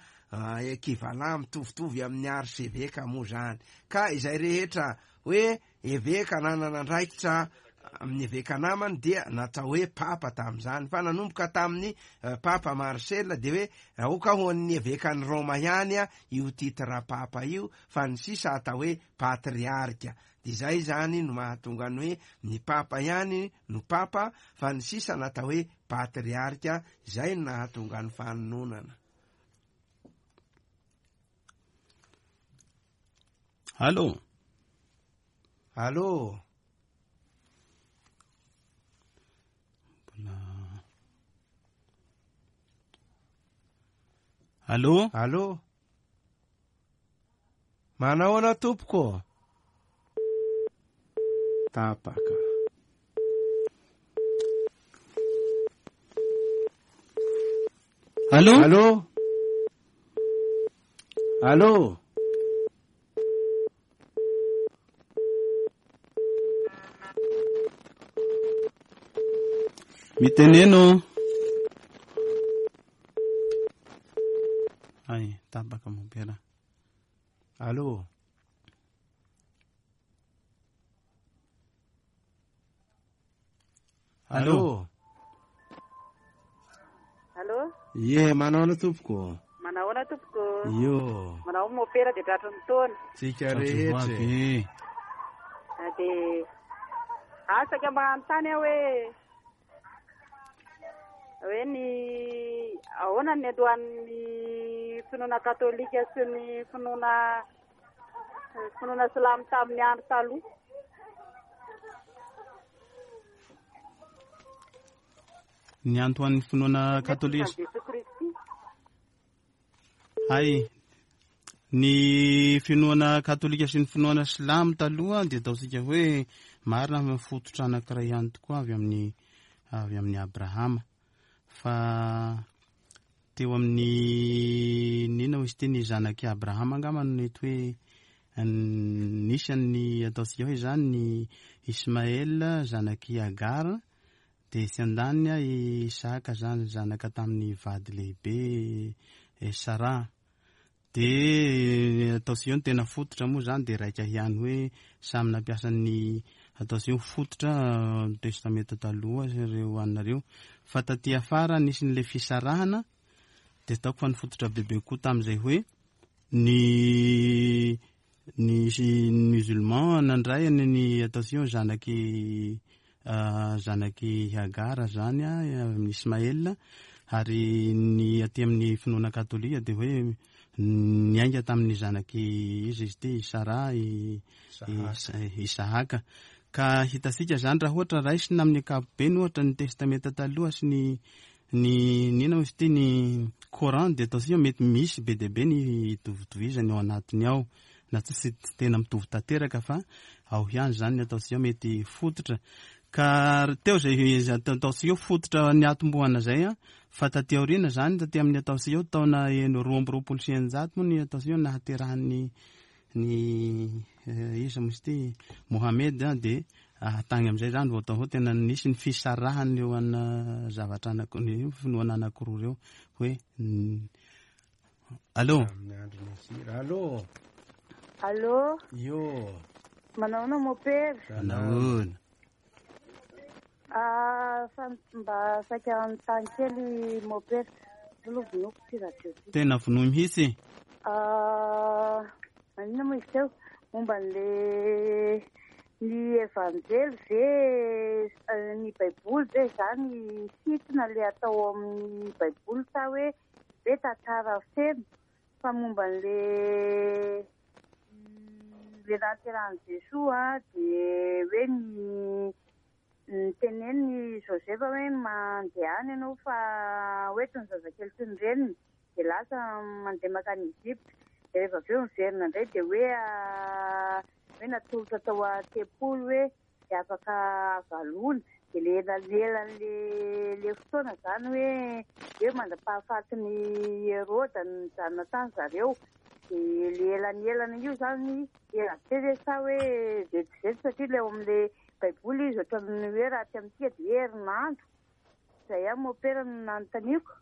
ekivalan mitovitovy amin'ny archevêque moa zany. Ka izay rehetra hoe eveka nanana andraikitra amin'ny eveka namany dia natao hoe papa tamin'izany, fa nanomboka tamin'ny papa Marcel dia hoe aoka ho an'ny evekan'i Roma ihany a io titre papa io, fa ny sisa atao hoe patriarka. Dia izay zany no mahatonga ny hoe ny papa ihany no papa, fa ny sisa natao hoe patriarka, izay no nahatonga ny fanononana. Allô. Allô. Allô? Allô? Manahoana tompoko? Tapaka. Allô? Allô? Allô? Miteneno. Ay, tapaka mompera. Allô? Allô? Allô? Ye, manahoana tompoko? Manahoana tompoko? Yo. Manao mopera dia tratry ny taona. Tsika rehetra. Dia asaka mba hanontany aho hoe Hoe ny ahoana ny alohan'ny finoana katolika sy ny finoana finoana silamo tamin'ny andro taloha. Ny antoan'ny finoana katolika Jesoa Kristy. Hay, ny finoana katolika sy ny finoana silamo taloha dia ataontsika hoe marina fa fototra anankiray ihany tokoa avy amin'ny avy amin'ny Abrahama. Fa teo amin'ny nina hoy izy ity, ny zanak'i Abrahama angamba no nety hoe nisy ny ataontsika hoe zany ny Ismaël zanak'i Agar, dia sy andaniny i Isaka zany zanaka tamin'ny vady lehibe Sara. Dia ataontsika hoe ny tena fototra moa zany dia raika ihany hoe samy nampiasa ny ataontsika hoe fototra testamenta taloha ireo anareo. Fa taty afara nisy n'ilay fisarahana, dia ataoko fa ny fototra bebe koa tamin'izay hoe ny ny musulman nandray ny ny ataontsika hoe zanaky zanaky Agar zany amin'ny Ismaël, ary ny aty amin'ny finoana katolika dia hoe niainga tamin'ny zanaky izy izy ity Sara i Isahaka. Ka hitantsika zany raha ohatra raisina amin'ny ankapobeny ohatra ny testamenta taloha sy ny ny nina izy ity ny Coran, dia ataontsika mety misy be dia be ny itovitovizany ao anatiny ao, na tsy tena mitovy tanteraka fa ao ihany zany ny ataontsika mety fototra. Ka teo zay ataontsika fototra ny atombohana zay a, fa taty aoriana zany taty amin'ny ataontsika eo taona roa amby roapolo sy eninjato moa ny ataontsika eo nahaterahan'ny ny iza moa izy ity Mohamed a, dia tany amin'izay zany vao atao hoe tena nisy ny fisarahany eo ana zavatra anaky ny finoana anankiroa ireo hoe allo. Allo. Allo. Io. Manahoana mopera? Manahoana. Ah, fa mba saika anontany kely mopera. Aloha vonoiko ty radio ty. Tena vonoy mihitsy. Ah, maninona moa izy teo? Momba an'le ny evanjely ve, ny baiboly ve zany sitrina le atao amin'ny baiboly sa hoe hoe tantara feno, fa momba an'le le nahaterahan'i Jesoa dia hoe ny ny teneniny Joseph hoe mandeha any ianao fa hoe toy ny zazakely toy ny reniny, dia lasa mandeha mankany Egypte, dia rehefa avy eo miverina indray dia hoe hoe natolotra tao an-tempoly hoe dia afaka avalona, dia le elanelan'le le fotoana zany hoe hoe mandra-pahafatiny Heroda nijanona tany zareo, dia le elanelana io zany ela be ve sa hoe vetivety, satria le ao amin'le baiboly izy ohatran'ny hoe raha ty amintsika dia herinandro. Izay ihany mopera no nanontaniako.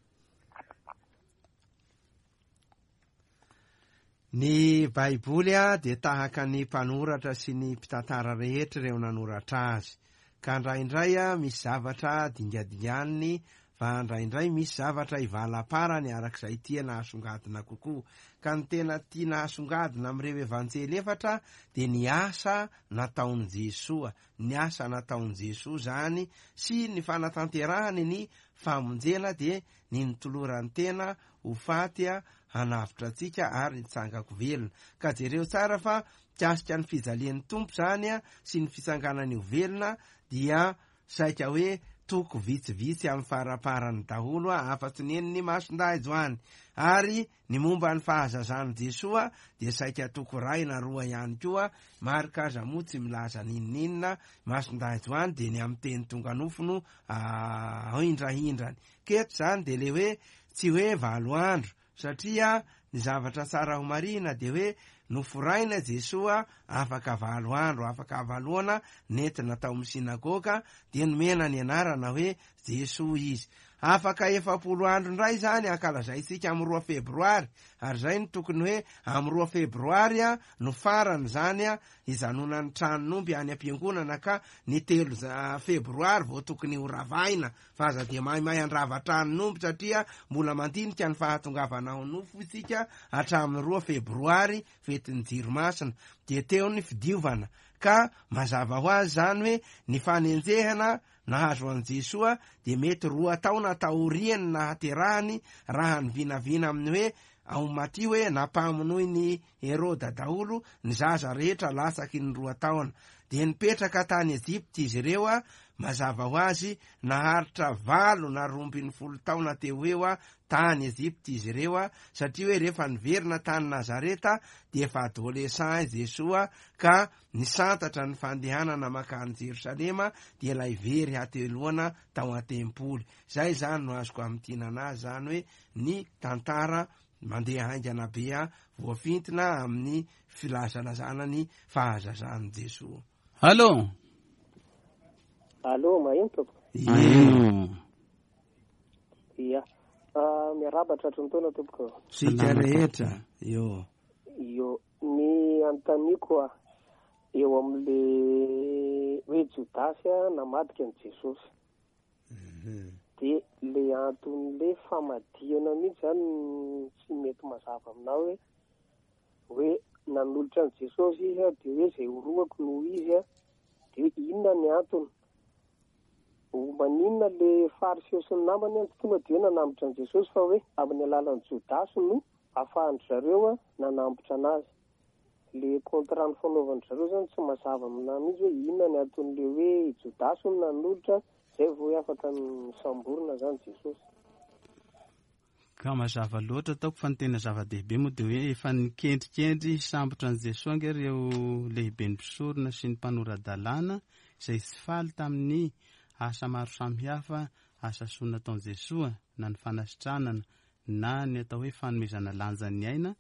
Ny baiboly a dia tahaka ny mpanoratra sy ny mpitantara rehetra ireo nanoratra azy, ka indraindray a misy zavatra dingadinganiny, fa indraindray misy zavatra ivalaparany arak'izay tiana hasongadina kokoa. Ka ny tena tiana hasongadina amin'ireo evanjely efatra dia ny asa nataon'i Jesoa, ny asa nataon'i Jesoa zany sy ny fanatanterahany ny famonjena, dia ny nitolorany tena ho faty a hanavotra antsika ary nitsangako velona. Ka jereo tsara fa mikasika ny fijalian'ny Tompo zany a sy ny fitsanganany ho velona dia saika hoe toko vitsivitsy amin'ny faraparany daholo a, afa-tsy ny eniny Masindahy Joany. Ary ny momba ny fahazazan'i Jesoa dia saika toko iray na roa ihany koa. Marka aza moa tsy milaza n'inon'inona. Masindahy Joany dia ny amin'ny teny tonga nofo no ahindrahindrany. Keto zany dia le hoe tsy hoe valo andro, satria ny zavatra tsara ho marihina dia hoe noforaina Jesoa afaka valo andro, afaka valoana nentina tao amin'ny sinagoga, dia nomena ny anarana hoe Jesoa izy. Afaka efapolo andro indray zany ankalazaintsika amin'ny roa febroary, ary zay no tokony hoe amin'ny roa febroary a no farany zany a hijanonan'ny tranon'omby any am-piangonana, ka ny telo febroary vao tokony ho ravaina, fa aza dia maimay handrava tranon'omby satria mbola mandinika ny fahatongavana ao nofo isika hatramin'ny roa febroary fetin'ny jiro masina. Dia teo ny fidiovana, Ka mazava ho azy zany hoe ny fanenjehana nahazo an'i Jesoa dia mety roa taona taoriany nahaterahany, raha ny vinavina amin'ny hoe ao Matio hoe nampamonoiny Heroda daholo ny zaza rehetra latsaky ny roa taona. Dia nipetraka tany Ejipta izy ireo a, mazava ho azy naharitra valo na roa ambin'ny folo taona teo eo a tany Ejipta izy ireo a, satria hoe rehefa niverina tany Nazareta dia efa adolescent Jesoa ka nisantatra ny fandehanana makany Jerosalema, dia ilay very hateloana tao an-tempoly. Zay zany no azoko amintinana azy zany hoe ny tantara mandeha haingana be a voafintina amin'ny filazalazana ny fahazazan'i Jesoa. Allô. Allô, maheno tompoko? Ie. Ia. Ah, miarahaba tratry ny taona tompoko. Sika rehetra. Io. Io, ny anontaniako a eo amin'le hoe Jodasy a namadika an'i Jesosy. Dia le anton'le famadihana mihitsy zany tsy mety mazava aminao hoe hoe nanolotra an'i Jesosy izy a, dia hoe izay orohako no izy a, dia hoe inona ny antony? O maninona le Fariseo sy ny namany a tsy tonga dia hoe nanambotra an'i Jesosy fa hoe amin'ny alalan'i Jodasy no ahafahan-dry zareo a nanambotra anazy. Le contrat ny fanaovan-dry zareo zany tsy mazava aminahy mihitsy hoe inona ny anton'le hoe Jodasy no nanolotra, zay vao hoe afaka nisamborina zany Jesosy. Ka mazava loatra ataoko fa ny tena zava-dehibe moa dia hoe efa nikendrikendry hisambotra an'i Jesoa ange ireo lehiben'ny mpisorona sy ny mpanora-dalàna izay tsy faly tamin'ny asa maro samihafa, asa soa nataon'i Jesoa, na ny fanasitranana na ny atao hoe fanomezana lanjan'ny aina,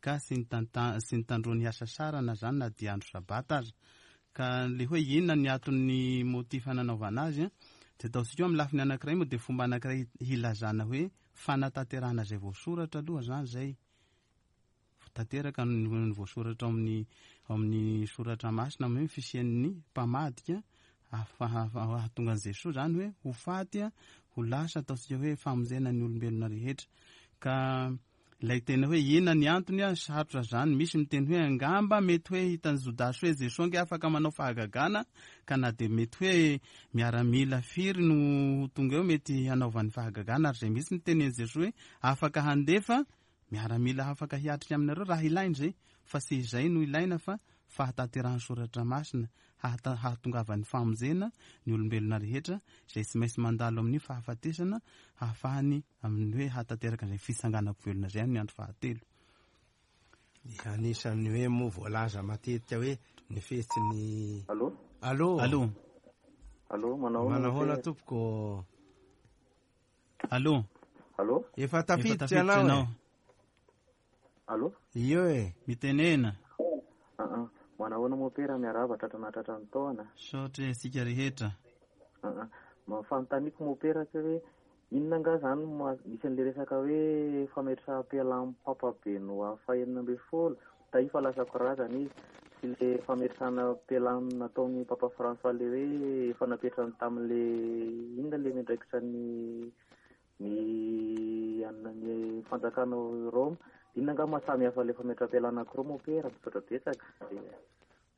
ka sy nitanta-, sy nitandroany hasasarana zany na dia andro sabata aza. Ka le hoe inona ny anton'ny motif nanaovana azy a, dia ataontsika eo amin'ny lafiny anankiray moa dia fomba anankiray hilazana hoe fanatanterahana izay voasoratra aloha zany zay. Tanteraka ny voasoratra ao amin'ny, ao amin'ny soratra masina amin'ny hoe fisian'ny mpamadika ahatonga an'i Jesoa zany hoe ho faty a, ho lasa ataontsika hoe famonjena ny olombelona rehetra. Ka ilay tena hoe inona ny antony a, sarotra zany. Misy miteny hoe angamba mety hoe hitan'i Jodasy hoe Jesoa ange afaka manao fahagagana, ka na dia mety hoe miaramila firy no ho tonga eo mety hanaovany fahagagana, ary izay misy miteny an'i Jesoa hoe afaka handefa miaramila afaka hiatrika aminareo raha ilaina izay, fa tsy izay no ilaina fa fahatanterahan'ny soratra masina, hahata-, hahatongavan'ny famonjena ny olombelona rehetra izay tsy maintsy mandalo amin'ny fahafatesana hahafahany amin'ny hoe hahatanteraka izay fitsanganako velona izay amin'ny andro fahatelo. Anisan'ny hoe moa voalaza matetika hoe ny fetsiny. Allô? Allô? Allô? Allô, manao ahoana Manahoana moa? tompoko? Allô? Allô? Efa Efa tafiditra tafiditra ianao e? ianao. Allô? Io e. Mitenena. Ah ah, manahoana moa pera, miarahaba tratra nahatratra ny taona. Saotra isika rehetra. Ah ah, ma fanontaniako moa pera tsy hoe inona angaha zany ma-, misy an'le resaka hoe fametraham-pialan'ny Papa Benoît fahenina ambin'ny folo, tahifa lasa korazana izy, sy le fametrahana pialana nataon'ny Papa François le hoe efa napetrany tamin'le inona le miandraikitra ny, ny anona ny fanjakana ao Roma. Inona angaha maha samy hafa le fametraham-pialana anankiroa moa pera? Misaotra betsaka.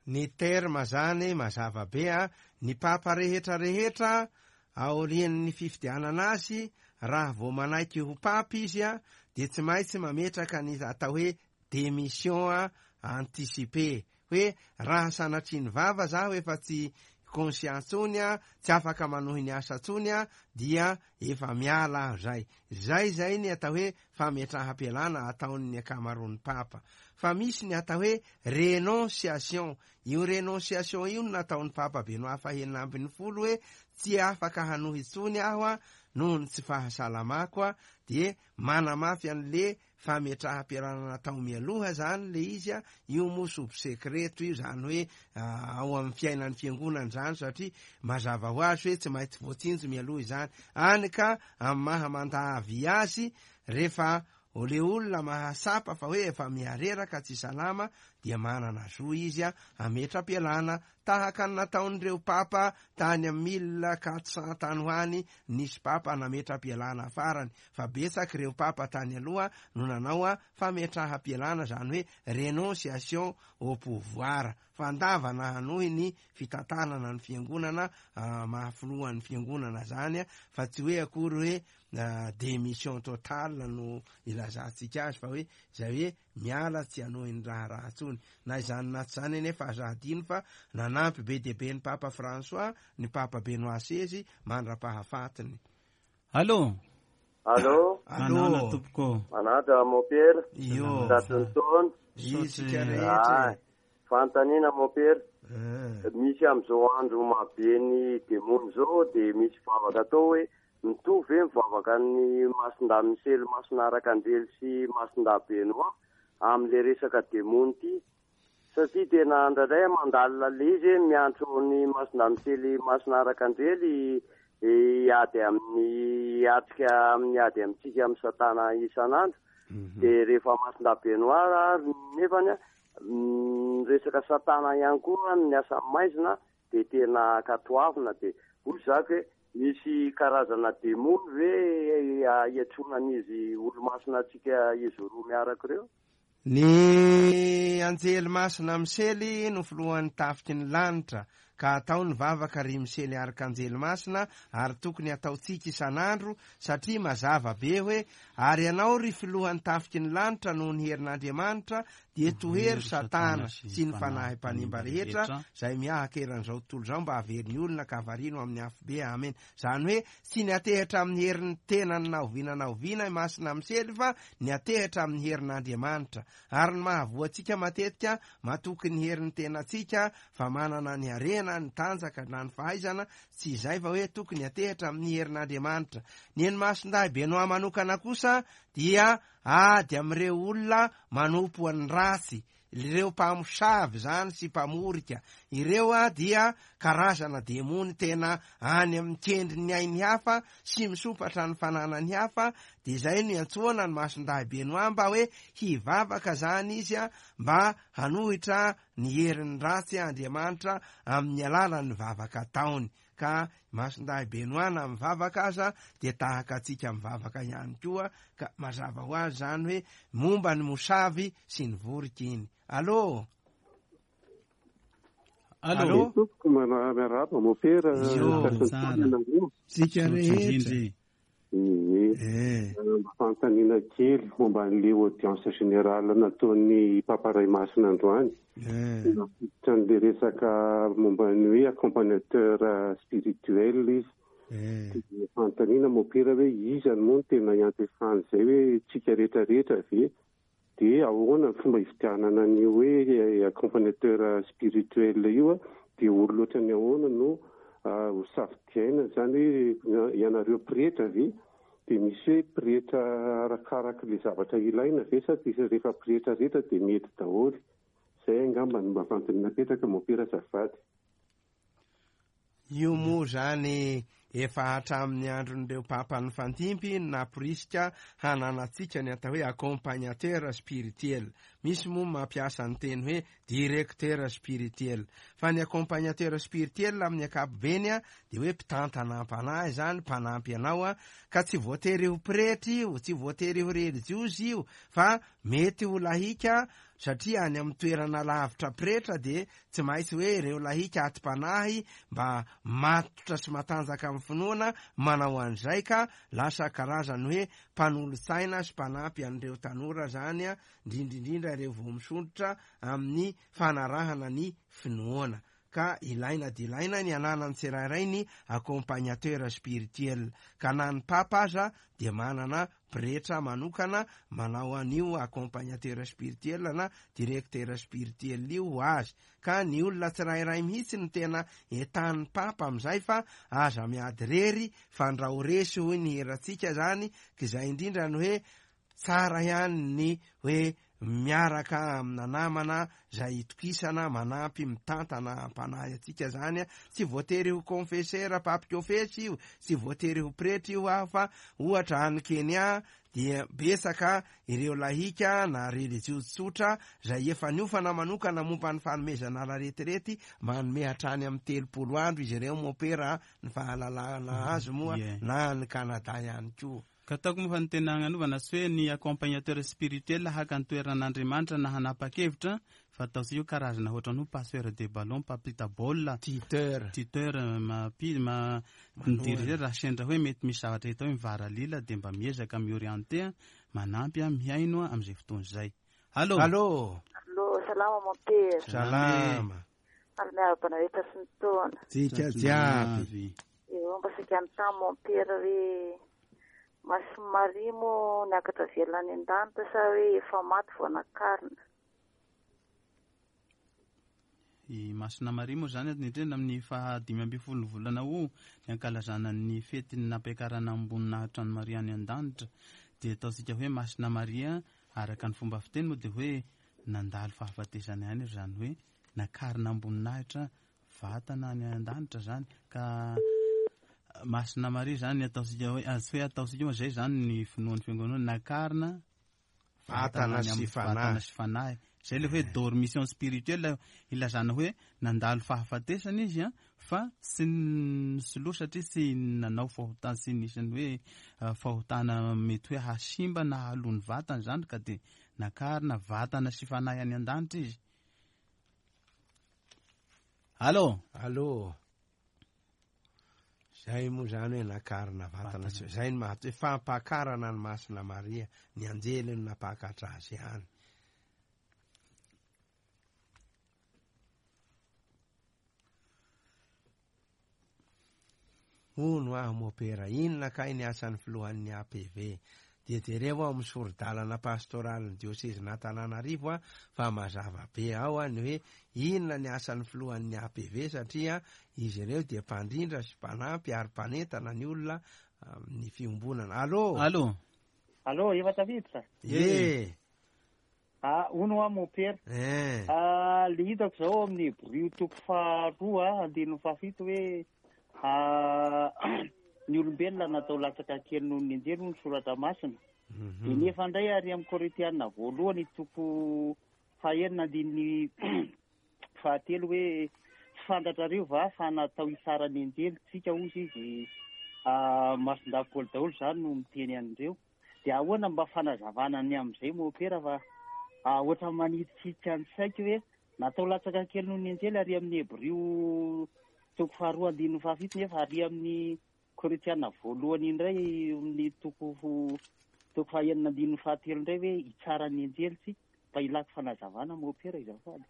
Ny terme zany mazava be a, ny papa rehetra rehetra aorian'ny fifidianana azy, raha vao manaiky ho papa izy a, dia tsy maintsy mametraka ny atao hoe démission a anticipée, hoe raha sanatria ny vava zaho efa tsy conscient intsony a, tsy afaka manohy ny asa intsony a, dia efa miala aho zay. Zay zay ny atao hoe fametraham-pialana ataon'ny ankamaroan'ny papa. Fa misy ny atao hoe renonciation. Io renonciation io no nataon'ny Papa Benoît fahenina ambin'ny folo hoe tsy afaka hanohy intsony aho a noho ny tsy fahasalamako a, dia manamafy an'le fametraham-pialana natao mialoha zany le izy a. Io moa sub secreto io zany hoe, ah, ao amin'ny fiainan'ny fiangonana zany, satria mazava ho azy hoe tsy maintsy voatsinjo mialoha izany. Any ka amin'ny maha mandavy azy, rehefa le olona mahasapa fa hoe efa miareraka tsy salama, dia manana zo izy a hametra-pialana, tahaka ny nataon'ireo papa tany amin'ny mille quatre cent tany ho any, nisy papa nametra-pialana farany, fa betsaka ireo papa tany aloha no nanao a fametraha-pialana, zany hoe renonciation au pouvoir. fandavana hanohy ny fitantanana ny fiangonana mahafilohan'ny fiangonana zany, fa tsy hoe akory hoe démission totale no ilazantsika azy, fa hoe zay hoe miala tsy hanohy ny raharaha intsony. Na izany na tsy izany anefa aza adino fa nanampy be dia be ny Papa François ny Papa Benoît seize mandra-pahafatiny. Allô. Allô. Manana tompoko. Manatra mopera. Io. Tatonton. Isika rehetra. Fanontaniana mopera. Misy amin'izao andro mahabe ny demony zao dia misy vavaka atao hoe mitovy ve mivavaka ny Masindahy Misely, Masina Arkanjely sy Masindahy Benoît amin'le resaka demony ty? Satria tena indraindray mandalina le izy hoe miantso ny Masindahy Misely, Masina Arkanjely hiady amin'ny hiatrika amin'ny ady amintsika amin'ny satana isan'andro. Dia rehefa Masindahy Benoît nefany resaka satana ihany koa ny asa maizina dia tena ankatoavina. Dia hoy zako hoe misy karazana demony ve iantsonan'izy olo-masina antsika izy roa miaraka ireo? Ny anjely masina Misely no filohan'ny tafiky ny lanitra, ka atao ny vavaka ry Misely arkanjely masina, ary tokony ataontsika isan'andro, satria mazava be hoe ary ianao ry filohan'ny tafiky ny lanitra noho ny herin'Andriamanitra dia tohero satana sy ny fanahy mpanimba rehetra izay miahaka eran'izao tontolo izao mba haveriny olona ka havarino amin'ny afobe. Amen. Izany hoe tsy niatehitra amin'ny herin'ny tenany na oviana na oviana i Masina Misely, fa niatehitra amin'ny herin'Andriamanitra. Ary ny mahavoantsika matetika matoky ny herin'ny tenantsika fa manana ny harena, ny tanjaka na ny fahaizana, tsy izay fa hoe tokony atehitra amin'ny herin'Andriamanitra. Ny eny Masindahy Benoît manokana kosa dia ady amin'ireo olona manompo ny ratsy, ireo mpamosavy zany sy mpamorika ireo a dia karazana demony tena any amin'ny kendrin'ny ainy hafa sy misompatra ny fananany hafa. Dia izay no iantsoana ny Masindahy Benoît mba hoe hivavaka zany izy a mba hanohitra ny herin'ny ratsy Andriamanitra amin'ny alalan'ny vavaka ataony. Ka Masindahy Benoît na mivavaka aza dia tahaka antsika mivavaka ihany koa, ka mazava ho azy zany hoe momba ny mosavy sy ny vorika iny. Allô. Allô. Tompoko, miarahaba mopera. Tsika rehetra. Ie. Fanontaniana kely momba an'ilay audience générale nataon'ny Papa Ray Masina androany. Nampiditra an'ilay resaka momba ny hoe accompagnateur spirituel izy. Dia fanontaniana mopera hoe iza moa no tena iantefan'izay hoe tsika rehetrarehetra ve? Dia ahoana ny fomba hividianana ny hoe accompagnateur spirituel io? Dia olona ohatran'ny ahoana no ho safidiaina zany hoe ianareo pretra ve? Dia misy hoe pretra arakaraka ilay zavatra ilaina ve sa dia rehefa pretra rehetra dia mety daholo? Izay angamba no mba fanontaniana napetraka mopera azafady. Io moa zany efa hatramin'ny andron'ireo papa nifandimpy namporisika hananantsika ny atao hoe accompagnateur spirituel. Misy moa mampiasa ny teny hoe directeur spirituel, fa ny accompagnateur spirituel amin'ny ankapobeny a dia hoe mpitantana am-panahy zany, mpanampy anao a, ka tsy voatery ho pretra io, tsy voatery ho relijiozy io, fa mety ho lahika, satria any amin'ny toerana lavitra pretra dia tsy maintsy hoe ireo lahika atim-panahy mba matotra sy matanjaka amin'ny finoana manao an'izay, ka lasa karazany hoe mpanolotsaina sy mpanampy an'ireo tanora zany a, indrindrindrindra ireo vao misondrotra amin'ny fanarahana ny finoana. Ka ilaina dia ilaina ny ananan'ny tsirairay ny accompagnateur spirituel, ka na ny papa aza dia manana pretra manokana manao an'io accompagnateur spirituel na directeur spirituel io ho azy. Ka ny olona tsirairay mihitsy no tena entan'ny papa amin'izay, fa aza miady rery fa ndrao resy hoy ny hiratsika zany. Ka izay indrindra no hoe tsara ihany ny hoe miaraka amina namana zay itokisana manampy mitantana am-panahy antsika zany. Tsy voatery ho confesseur mpampikofesy io, tsy voatery ho pretra io aho, fa ohatra any Kenya dia betsaka ireo lahika na relijiozy tsotra zay efa niofana manokana momba ny fanomezana laretirety, manome hatrany amin'ny telopolo andro izy ireo mopera ny fahalalana azy moa, na ny Kanada ihany koa. Ka ataoko moa fa ny tena agnanovana tsy hoe ny accompagnateur spirituel haka ny toeran'Andriamanitra na hanapa-kevitra, fa ataontsika io karazana ohatran'ny hoe passeur de ballon, mpampita baolina, tuteur, tuteur mampi ma midiriger raha sendra hoe mety misy zavatra hita hoe mivaralila dia mba miezaka miorienté, manampy mihaino amin'izay fotoana izay. Allô. Allô. Allô, salama mompera. Salama. Ary miarahaba anareo sy ny taona. Tsika jiaby. Eo mba saika anontany mompera hoe Masina Maria moa niakatra velona any an-danitra sa hoe efa maty vao nakarina? I Masina Maria moa zany indrindra amin'ny fahadimy ambin'ny folo volana o ny ankalazana ny fetin'ny nampiakarana amboninahitra an'i Maria any an-danitra, dia ataontsika hoe Masina Maria araka ny fomba fiteny moa dia hoe nandalo fahafatesana ihany izy, zany hoe nakarina amboninahitra vatana any an-danitra zany. Ka Masina Maria zany ataontsika hoe tsy hoe ataontsika moa zay zany ny finoan'ny fiangonana, nakarina vatana sy fanahy, vatana sy fanahy. Zay le hoe dormition spirituelle ilazana hoe nandalo fahafatesana izy a, fa tsy nisoloa satria tsy nanao fahotana, tsy nisy ny hoe fahotana mety hoe hasimba na haloa ny vatana zany, ka dia nakarina vatana sy fanahy any an-danitra izy. Allô. Allô. Zay moa zany hoe nakarina vatana sy zay ny mahato hoe fampakarana ny Masina Maria, ny anjely no nampakatra azy ihany. Hono aho mopera, inona kay ny asan'ny filohan'ny A P V? Dia jereo ao amin'ny sori-dalana pastoralin'ny diosezin'Antananarivo a, fa mazava be ao a ny hoe inona ny asan'ny filohan'ny A P V, satria izy ireo dia mpandrindra sy mpanampy ary mpanentana ny olona amin'ny fiombonana. Allô. Allô. Allô, efa tafiditra? E. Ah, hono aho mopera. Eh. Ah, le hitako zao amin'ny Hebrio toko faharoa andininy fahafito hoe ah ny olombelona natao latsaka kely noho ny anjely hoy ny soratra masina. Dia nefa indray ary amin'ny Korintiana voalohany toko fahenina andininy fahatelo hoe tsy fantatrareo va fa natao hitsara ny anjely tsika hozy izy, Masindahy Paoly daholo zany no miteny an'ireo. Dia ahoana mba fanazavana ny amin'izay mopera fa ohatra manitsitsika ny saiko hoe natao latsaka kely noho ny anjely ary amin'ny Hebrio toko faharoa andininy fahafito nefa ary amin'ny Korintiana voalohany indray amin'ny toko toko fahenina andininy fahatelo indray hoe hitsara ny anjely tsika, mba ilako fanazavana mopera izafady.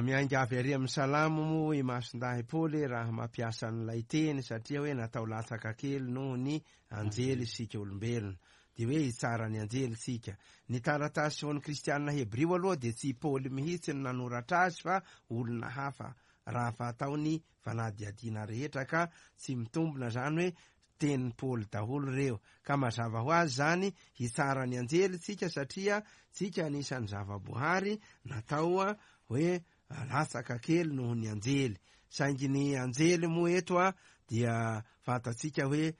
Miainga avy ary amin'ny Salamo moa i Masindahy Paoly raha mampiasa an'ilay teny, satria hoe natao latsaka kely noho ny anjely isika olombelona, dia hoe hitsara ny anjely tsika. Ny taratasy ho an'ny Kristianina Hebrio aloha dia tsy Paoly mihitsy no nanoratra azy fa olona hafa, raha fa ataony fanadihadiana rehetra, ka tsy mitombina zany hoe tenin'i Paoly daholo ireo. Ka mazava ho azy zany hitsara ny anjely tsika, satria tsika anisan'ny zava-boahary natao hoe latsaka kely noho ny anjely. Saingy ny anjely moa eto a dia fantatsika hoe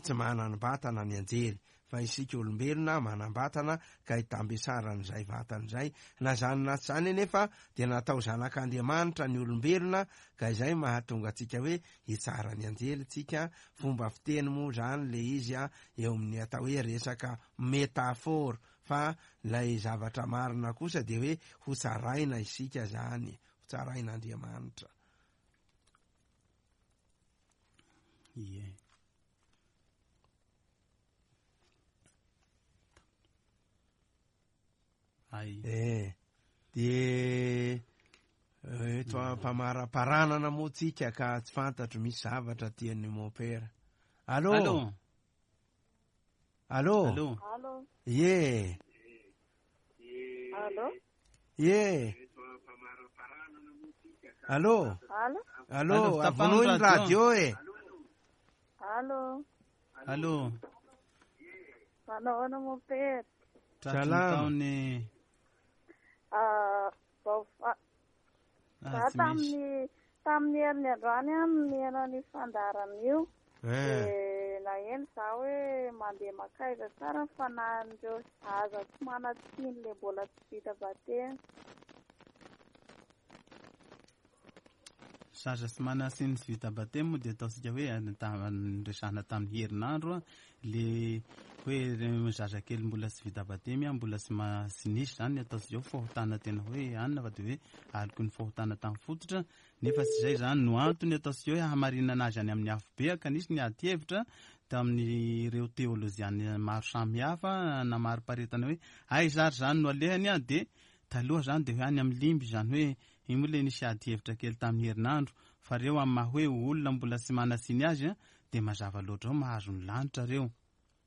tsy manam-batana ny anjely, fa isika olombelona manam-batana ka hitambesaran'izay vatana izay. Na zany na tsy zany anefa dia natao zanak'Andriamanitra ny olombelona, ka izay mahatonga antsika hoe hitsara ny anjely tsika. Fomba fiteny moa zany le izy a eo amin'ny atao hoe resaka métaphore, fa lay zavatra marina kosa dia hoe ho tsaraina isika zany, ho tsarain'Andriamanitra. Ie. Ai. Eh, dia eto ampamaraparanana moa tsika ka tsy fantatro misy zavatra tian'ny mopera. Allô. Allô. Allô. Allô. Ie. Allô. Ie. Allô. Allô. Allô, avonoy ny radio e. Allô. Allô. Manao ahoana mopera? Salama. Ah, vao za tamin'ny tamin'ny herin'ny androany aho no nihaino ny fandaharana io. Dia naheno za hoe mandeha makaiza tsara ny fanahin'ireo zaza tsy manan-tsiny le mbola tsy vita batemy. Zaza sy manasiny sy vita batemy moa dia ataontsika hoe niresahana tamin'ny herinandro le hoe zazakely mbola tsy vita batemy mbola tsy tsy nisy zany ny ataontsika hoe fahotana tena hoe anina fa dia hoe aloky ny fahotana tamin'ny fototra, nefa tsy izay zany no antony ataontsika hoe hamarinana azy any amin'ny afobe, ka nisy ny ady hevitra tamin'ireo teolojiana maro samihafa namariparitana hoe aiza ary zany no alehany a, dia taloha zany dia hoe any amin'ny limby, zany hoe iny moa le nisy ady hevitra kely tamin'ny herinandro, fa reo amin'ny maha hoe olona mbola tsy manasiny azy a, dia mazava loatra ao mahazo ny lanitra reo,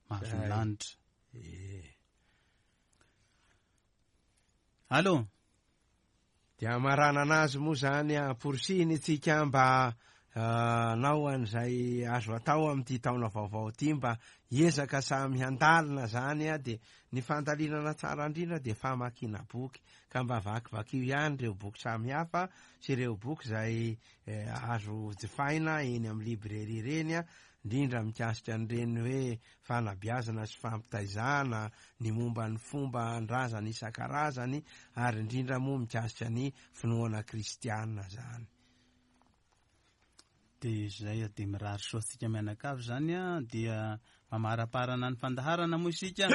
mahazo ny lanitra. Allo, dia amaranana azy moa zany amporisihiny itsika mba nao an'izay azo atao amin'ity taona vaovao ity mba hiezaka samy handalina zany a, dia ny fandalinana tsara indrindra dia famakiana boky, ka mba vakivakio ihany ireo boky samihafa sy ireo boky izay azo jifaina eny amin'ny librairie ireny a, indrindra mikasika an'ireny hoe fanabeazana sy fampitaizana ny momba ny fomba ndrazana isan-karazany, ary indrindra moa mikasika ny finoana kristiana zany. Dia izay dia mirary soa antsika mianakavy zany a, dia mamaraparana ny fandaharana moa isika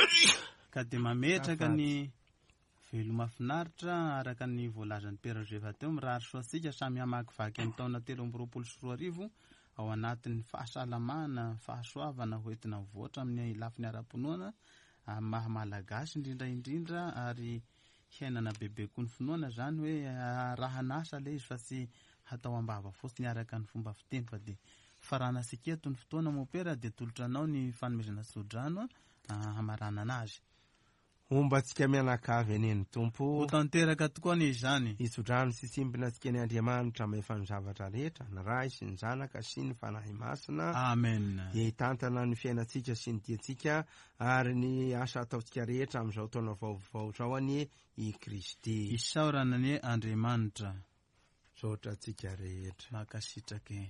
ka dia mametraka ny veloma finaritra araka ny voalazan'ny Père Joseph teo. Mirary soa antsika samy hamakivaky amin'ny taona telo amby roapolo sy roa arivo ao anatin'ny fahasalamana, fahasoavana hoentina mivoatra amin'ny lafiny ara-pinoana amin'ny maha malagasy indrindra indrindra, ary hiainana bebe koa ny finoana zany hoe raha nasa ilay izy fa tsy hatao ambava fotsiny araka ny fomba fiteny, fa dia faranantsika eto ny fotoana mopera dia tolotra anao ny fanomezana tsodrano hamaranana azy. Homba antsika mianakavy anie ny Tompo. Ho tanteraka tokoa anie izany. Hitsodrano sy tsimbina antsika ny Andriamanitra mahefa ny zavatra rehetra, ny Ray sy ny Zanaka sy ny Fanahy Masina. Amen. Dia hitantana ny fiainantsika sy ny diantsika ary ny asa ataontsika rehetra amin'izao taona vaovao izao anie i Kristy. Isaorana anie Andriamanitra. Misaotra antsika rehetra. Mankasitraka.